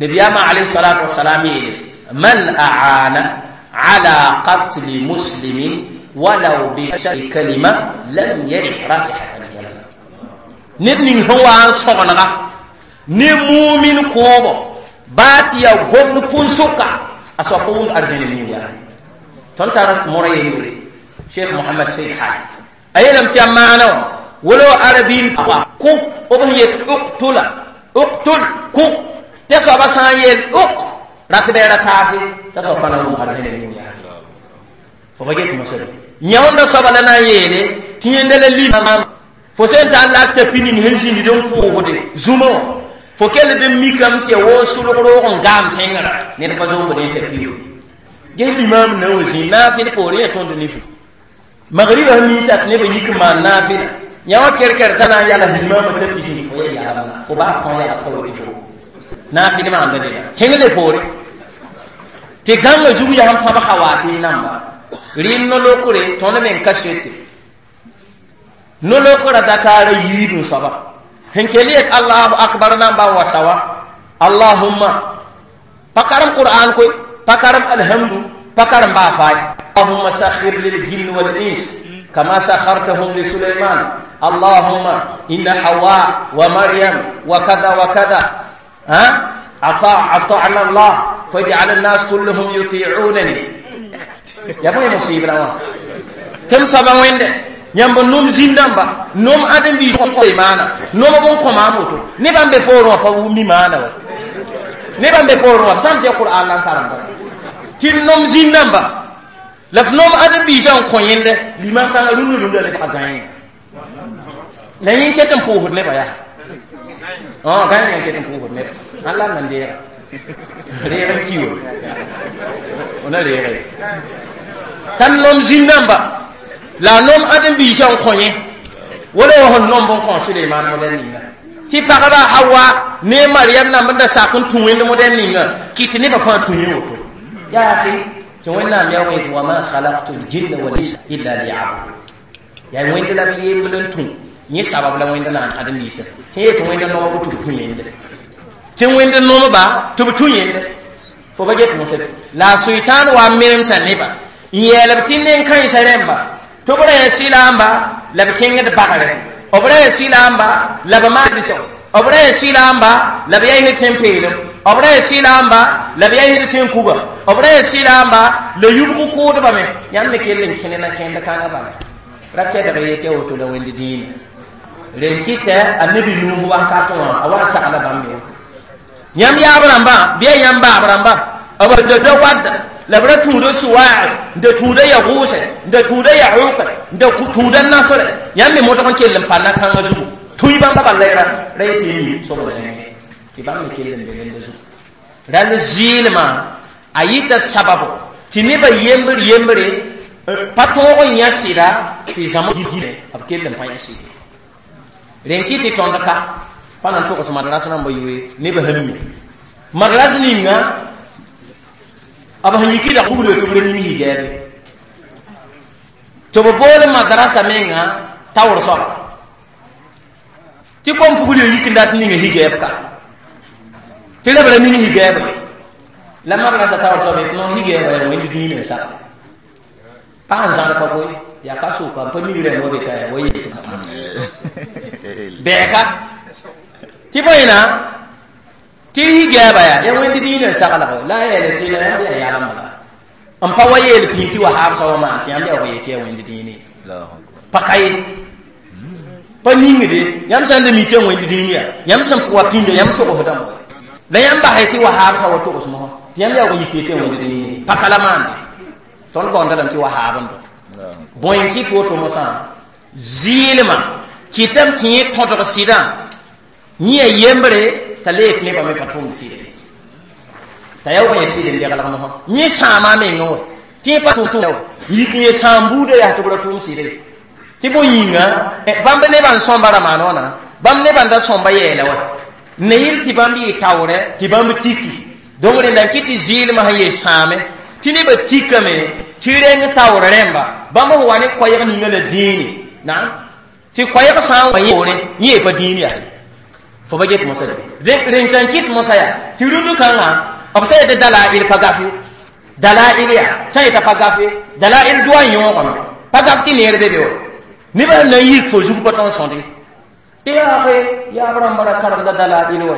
nabiyaamã alayhi salatu wasalam yeele man aana ala qatli muslimin walaw bi kalima lam yarih raihat aljanna ned ning sẽn wa n sõgenega ne mumin kʋʋbo baa tɩ yaa gomd pʋn-sʋka a soab pa wʋmd arzẽne ning yaa tõnd tar mora yembre cheikh mohamad said haj a yeelame tɩ a maana wã wala wa arabin kʋ b sẽn yet uktula uktul kʋ tɩ soaba sã n yeel uk rat bɩ ra taase t'a soab pa na wʋm arzẽne ning yaa fo ba get mosã yãonda soaba la na n yeele tɩ yẽnda la limam fo sẽn tar la a tapi ning sẽn zĩnd n pʋʋsde zũma wã fo kell d n mikame tɩ ya woo sʋlg roog n gaam tẽngrã ned pa zombd n tapi yo ges limaam na wa zĩ naafɩl poorẽ ya tõnd nifu magriba sẽn minsa tɩ nebã yik n maan naafɩla yã wã kɛrkɛr t'a na n yals limaamã tapi zĩnd fo ya yalemna fo baa kõ yals ka wa tɩ fo naafɩl maanda neda kẽng le poore tɩ gãngã zug yaa sẽn pãb hawaatɩ namba rɩɩm no-lokre tõnd me n ka sete no-lokra dakaara yiib n soaba sẽn kell yet allahu akbar namba n wa sawa allahumma pa karem qur'an koe pa karem alhamdu pa karem baa faay allahumma sakhir liljinn wal ins kama sakhartahum li sulaiman allahumma inna hawa wa maryam wa kada wa kada ha ata'na allah faj'al an-nas kulluhum yuti'unani ya bõe musibra wã tɩ m soaba wẽnde yãmb nom zĩn-dãmba nom ãdem-biis maana nom b n kõ maam woto nebã n be poorẽ wã pa mi maana wa nebã n be poorẽ wã b sã n tɩ qur'an la n karemda tɩ nom zĩn-dãmba la f nom ãdem-biisã n kõ yẽnde limam kãngã rũndã rũndã lebga gãe la yẽ ket n pʋʋsd nebã yaa gãe n ket n pʋʋsd neba ãn la n nan deega reeg n ki wa na reege t'a nom zĩn-dãmba la nom ãdem-biisã n kõ yẽ wala wa sẽn nomb n kõ Suleiman modɛl ninga tɩ pagba Hawa ne Mariam namb n da sak n tũ wẽnd modɛl ninga kɩt nebã fãa tũ yẽ woto yaa tɩ Wẽnnaam yaa wẽ tɩ wa ma khalaqtu ljinna wal insa illa liyabudun yaa wẽnd la b yembl n tũ yẽ sabab la wẽnd na n ãdem-biisã tɩ yet wẽnd noomb tɩ b tũ yẽnde tɩ wẽnd noomba tɩ b tũ yẽnde fo ba get mosã la a sʋɩtãan wa n menemsã nebã n yeelb tɩ nen-kãensã rẽmba tɩ b ra yaa sɩlaamba la b kẽngd bagre b ra yaa sɩlaamba la b maand b ra yaa sɩlaamba la b yaa tẽn-peelem b ra yaa sɩlaamba la b yaa tẽn-kuga b ra yaa sɩlaamba la yubg kʋʋdbame yãmb me kell n kẽne na kẽnd kãngã bala ra tɛdg yetɩ a woto la wẽnd dĩinã ren kɩtɛ a nebi nuus wakat wã a wa sagla bãmb me woto yãmb yaab rãmbã bɩ ya yãmb baab rãmbã b da wadda la b ra tũuda suwaag n da tũuda yagʋʋsɛ n da tũuda yaʋʋkɛ n da tũuda nasrɛ yãmb me modg n kell n pa na-kãngã zugu tũi bãmba bala ra ra yetɩ mi sobd zẽnge tɩ bãmb me kell n be nenda zugu rall zɩɩlmã a yɩta sababo tɩ nebã yembr yembre pa tõog n yã sɩda tɩ zãm gilẽ b kell n pa yã sɩd rẽn kɩ tɩ tõnd ka pa na n togs madras rãmba yoe nebã sẽn mi madras ninga b sẽn yikda buglo tɩ b ra ning higɛɛbe tɩ b bool madrasa menga taoor soaba tɩ kom pugl yo yik n dat ninga higɛɛb ka tɩ la b ra ning higɛɛbe la madrasa taoor soaba yetɩ no higɛɛba yaa wẽnd dĩinã n sak pag n zãd ka koe yaa ka soka n pa mik rẽmb wa be ka wa yet bɛɛka tɩ bõe na tɩ higɛɛba yaa ya wẽnd dĩinã n saglg la a yeele tɩ la yãmb yaa yalem bala n pa wa yeel pĩn tɩ wa haabsa wa maan tɩ yãmb yaa wa yetɩ ya wẽnd dĩinã pa ka ye pa ningde yãmb sã n da mi tɩ ya wẽnd dĩin yaa yãmb sẽn wa pĩnda yãmb togsdame la yãmb basɛ tɩ wa haabsa wa togs mosã tɩ yãmb yaa wa yike tɩ ya wẽnd dĩinã pa ka la maande tõnd baoonda lame tɩ wa haab n dõ bõe n kɩt woto mosã zɩɩlmã kɩtame tɩ yẽ tõdg sɩdã yẽ ya yembre T'a le nebã me pa tʋʋmd sɩd t'a ya wa sɩd n deglg mosã yẽ sãama mengẽ wã tɩ pa tʋm yik n ye sãam buudã yaa tɩ b ra tʋʋm sɩd ye tɩ bõe yĩnga bãmb nebã n sõmba ramaana wãna bãmb nebã n da sõmba yɛɛla wa ne yɩl tɩ bãmb yɩ taoorɛ tɩ bãmb tiki donc rẽnda n kɩt tɩ zɩɩlmã sẽn yee sãame tɩ nebã tikame tɩ reng taoor rẽmba bãmb sẽn wa ne koɛɛg ninga la dĩini naam tɩ koɛɛg sã n wa yẽ yẽ pa dĩin yaa fo ba get mosã rẽn tã n kɩt mosã yaa tɩ rũndũ kãngã b sã yetɩ dalail pa gafe dalail yaa sã yeta pa gafe dalail doa n yõogame pa gaf tɩ neer be be wa nebã sẽn na n yik fo zug pa tõnd sõde tɩ yaage yaab rãmba ra karemda dalail wa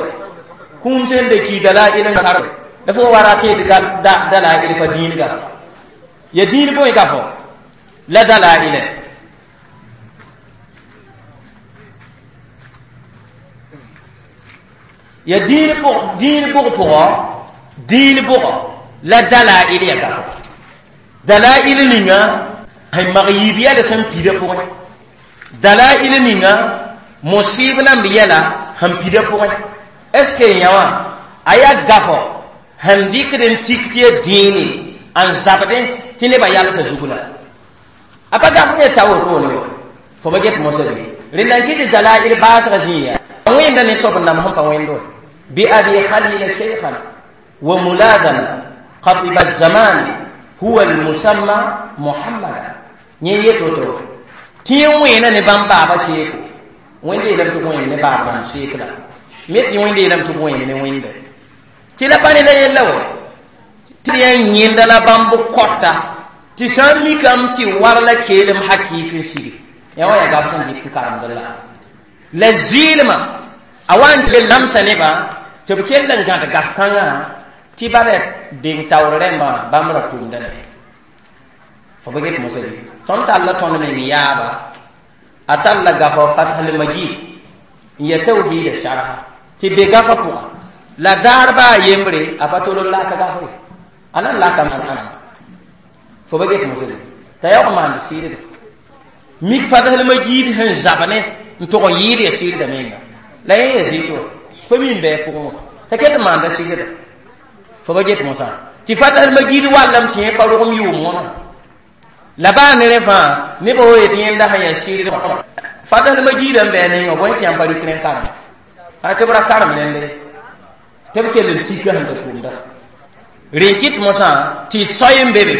kũum sẽn de ki dalail n karem la fo wa ra tɩ tɩ dalail pa dĩin gafa ya dĩin bõe gafo la dalailɛ ya dĩin bʋg pʋgɔ dĩin bʋgɔ la dalail ya gafo dalail ninga sẽn mag yiib yɛl sẽn pida pʋgẽ dalail ninga musib namb yɛla sẽn pida pʋgẽ est ce que yã wã a yaa gafo sẽn dɩkd n tik tɩ ya dĩini n zabdẽ tɩ nebã yalsã zug la a pa gaf ne ta wotone wa fo ba get mosã bɩ rẽnda n kɩ tɩ dalail baasgã zĩig yaa wẽnda ne soab n nam sẽn pa wẽnd wa bi abi khalila sheikhana wa muladana khatiba الزمان هو المسمى محمدا yẽ yet woto tɩ yẽ wẽena ne bãmb baaba seeko wẽnde yeelame tɩ wẽen ne baab bãmb seekda me tɩ wẽnde yeelame tɩ wẽen ne wẽnde tɩ la pa ne la yella wa tɩ yaa yẽnda la bãmb kɔta tɩ sã n mikame tɩ war la keelem hakɩɩk n sigi yã wa yaa gaf sẽn dɩk n karemd la la zɩɩlmã a wa n kell namsa nebã tɩ b kell n gãd gaf kãngã tɩ bara deng taoor rẽmbã bãmb ra tʋmda ne fo ba get mosã bɩ tõnd talla tõnd meng yaaba a talla gafa fathal majid n ya tawhida sharha tɩ be gafa pʋga la daar baa yembre a pa tol n laka gafa ye a nan laka ãnama fo ba get mosã bɩ t'a yaoog maand sɩɩdda mik fathal majid sẽn zab ne n tʋg n yɩɩd ya sɩɩdda menga la yẽ ya zɩɩt wa fo mi n bɩ pʋgẽ wã t'a ket n maanda sɩgda fo ba get mosã tɩ fathal majid wallame tɩ yẽ pa rogem yʋʋm wãna la baa ne rẽ fãa nebã wa yetɩ yẽnda sẽn yaa sɩɩd fathal majidã n bɩ a nengã bõe tɩ yãmb pa rɩk rẽ karem a tɩ b ra karem rẽnde tɩ b kell n tika sẽn da tʋmda rẽn kɩt mosã tɩ soy n be be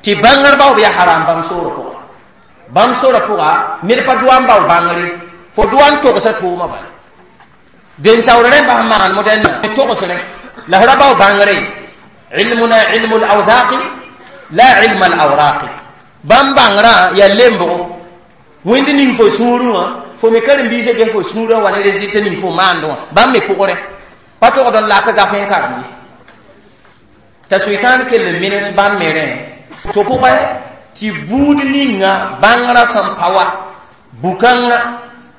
tɩ bãngr baoob yaa haram bãmb soorã pʋga bãmb soorã pʋga ned pa doa n bao bãngre fo doa n togsa tʋʋmã bala den taoor rẽmba sẽn maan modɛn togsrẽ la f ra bao bãngre ilmuna ilmu lawdaqi la ilma alawraqi bãmb bãngrã yaa lembgo wẽnd ning fo sũurẽ wã fo me karen-biisã ges fo sũurã wa ne résultat ning fo maandẽ wã bãmb me pʋgrẽ pa togd n lak gaf n karem ye t'a soetãan kell n menes bãmb me rẽ tɩ pʋgẽ tɩ buud ninga bãngrã sẽn pa wa bu-kãngã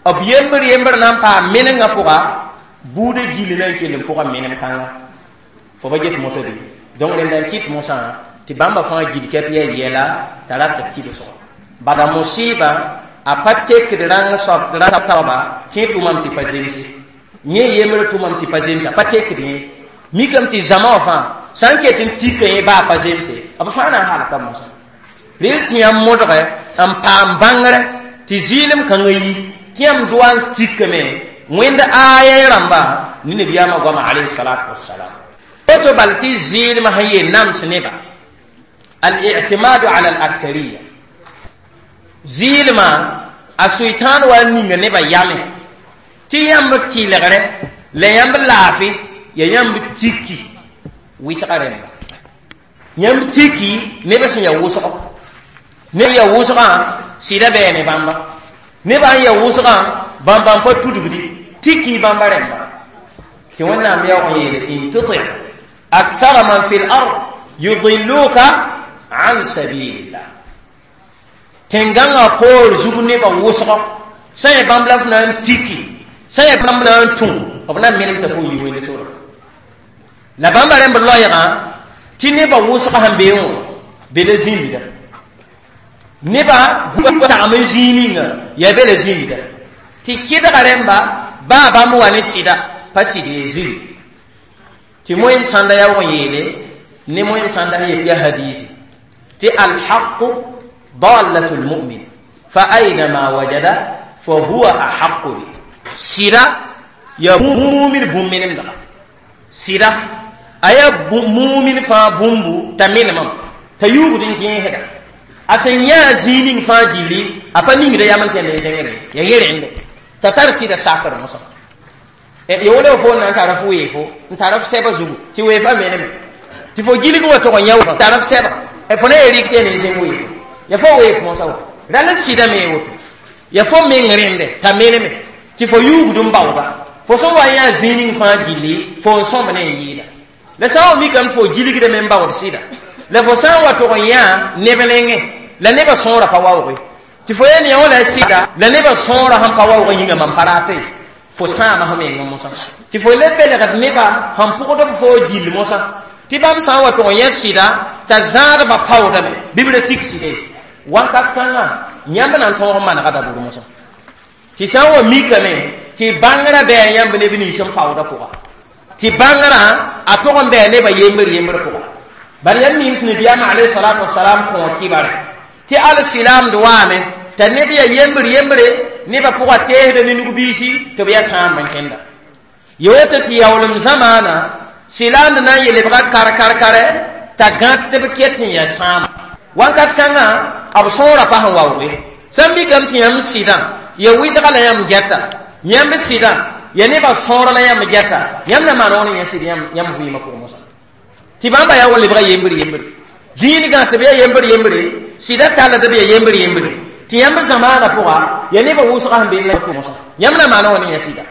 b yembr yembr na n paam menengã pʋga buudã gill na n kell n pʋga menem kãngã fo ba get mosã bɩ donc rẽnda n kɩt mosã tɩ bãmba fãa gil kɛp yaa yɛla t'a rat b tɩbsgo bala musɩɩba a pa tekd rãng soab rã taoba tɩ tʋmame tɩ pa zemse yẽ yembr tʋmame tɩ pa zemse a pa tekd yẽ mikame tɩ zãma wã fãa sã n ket n tika yẽ baa pa zemse b fãa na n halka mosã rel tɩ yãmb modgɛ n paam bãngrɛ tɩ zɩɩlem kãngã yi tɩ yãmb doa n tikame wẽnd aaya rãmba ne nabiyaamã goama alayhi salatu wassalam woto bal tɩ zɩɩlmã sẽn yee nams neba الاعتماد على الأكثرية زيلما الشيطان وانيغ نبا يامي تي يام كيلغره لا يام لافي يا يام تيكي ويسقرن يام تيكي نبا سن يا وسق ne ya wʋsgã sɩda bɛɛ ne bãmba nebã n ya wʋsgã bãmb n pa tudgdi tiki bãmba rẽmba tɩ wẽnnaam yaoog n yeele in tuti akthara man fi l ard yudilluka an sabilillah tẽn-gãngã poor zug nebã wʋsgɔ sã yẽ bãmb la f na n tiki sã yẽ bãmb na n tũ b na n menemsa fo yi wẽnde sora la bãmba rẽmb loɛɛgã tɩ nebã wʋsgã sẽn bee wã be la zĩmbda nebã tagm n zĩig ninga yaa be la zĩmbda tɩ kɩdga rẽmba baa bãmb wa ne sɩda pa sɩd ye zĩri tɩ moẽm sãnda yaoog n yeele ne moẽm sãnda sẽn yet yaa hadiisi tɩ alhaqu dalatu lmumin fa ainama wajada fa huwa ahaqu bi sɩda ya mumin bũmb-menemdga sɩda a yaa mumin fãa bũmbu t'a menemam t'a yuugd n kẽesda a sẽn yãa zĩig ning fãa gilli a pa mingda yam n tẽnd n zẽngre ya yẽ rẽnde t'a tar sɩda sakr mosã ya wala fo na n tara f weefo n tara f sɛba zugu tɩ weefã meneme tɩ fo gilg wã tʋg n yã tara f sɛba fo na ya rɩk tɩ ya ne zẽng weefo ya fo weef mosã woto rala sɩda me woto ya fo meng rẽnde t'a meneme tɩ fo yuugd n baooda fo sẽn wa yã zĩig ning fãa gilli fo n sõmb ne n yɩɩda la sã n wa mikame fo gilgdame n baood sɩda la fo sã n wa tʋg n yã neb nengẽ la nebã sõora pa waooge tɩ fo yel yã wã la sɩda la nebã sõora sẽn pa waoog yĩnga mam pa raate fo sãama fo meng mosã tɩ fo le belgd nebã sẽn pʋgd b fo gill mosã tɩ bãmb sã n wa tʋg n yã sɩda t'a zãadbã paoodame bɩ b ra tik sɩde wakat kãngã yãmb na n tõog n manega dabʋr mosã tɩ sã n wa mikame tɩ bãngrã bɩ a yãmb neb nins n paoodã pʋga tɩ bãngrã a tʋg n bɩ a nebã yembr yembr pʋga bala yãmb mim tɩ nabiyaamã alayhi salatu wasalam kõ kibare tɩ al-silaamd waame t'a neb yaa yembr yembre nebã pʋga teesda ne nug-biisi tɩ b yaa sãamb n kẽnda ya woto tɩ yaoolem zamaana silaamd na n yelebga kar-kar-kare t'a gãd tɩ b ket n yaa sãama wakat kãngã b sõora pa sẽn waooge sã n mikame tɩ yãmb sɩdã ya wɩsga la yãmb gɛta yãmb sɩdã ya nebã sõor la yãmb gɛta yãmb na maan wãn yã sɩd yãmb vɩɩmã pʋgẽ mosã tɩ bãmba yaa wa lebga yembr yembre zĩigã tɩ b yaa yembr yembre sɩda talla tɩ b yaa yembr yembre tɩ yãmb zamaanã pʋga ya nebã wʋsga sẽn be la mosã yãmb na maana wã ne yã sɩda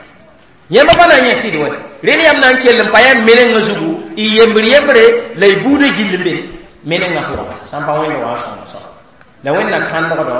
yãmb pa na n yã sɩd wɛ rel yãmb na n kell n pa yaa menengã zugu y yembr yembre la y buudã gill n be menengã pʋga sã n pa wẽnd wa n sõng sã la wẽnna kãndgdɔ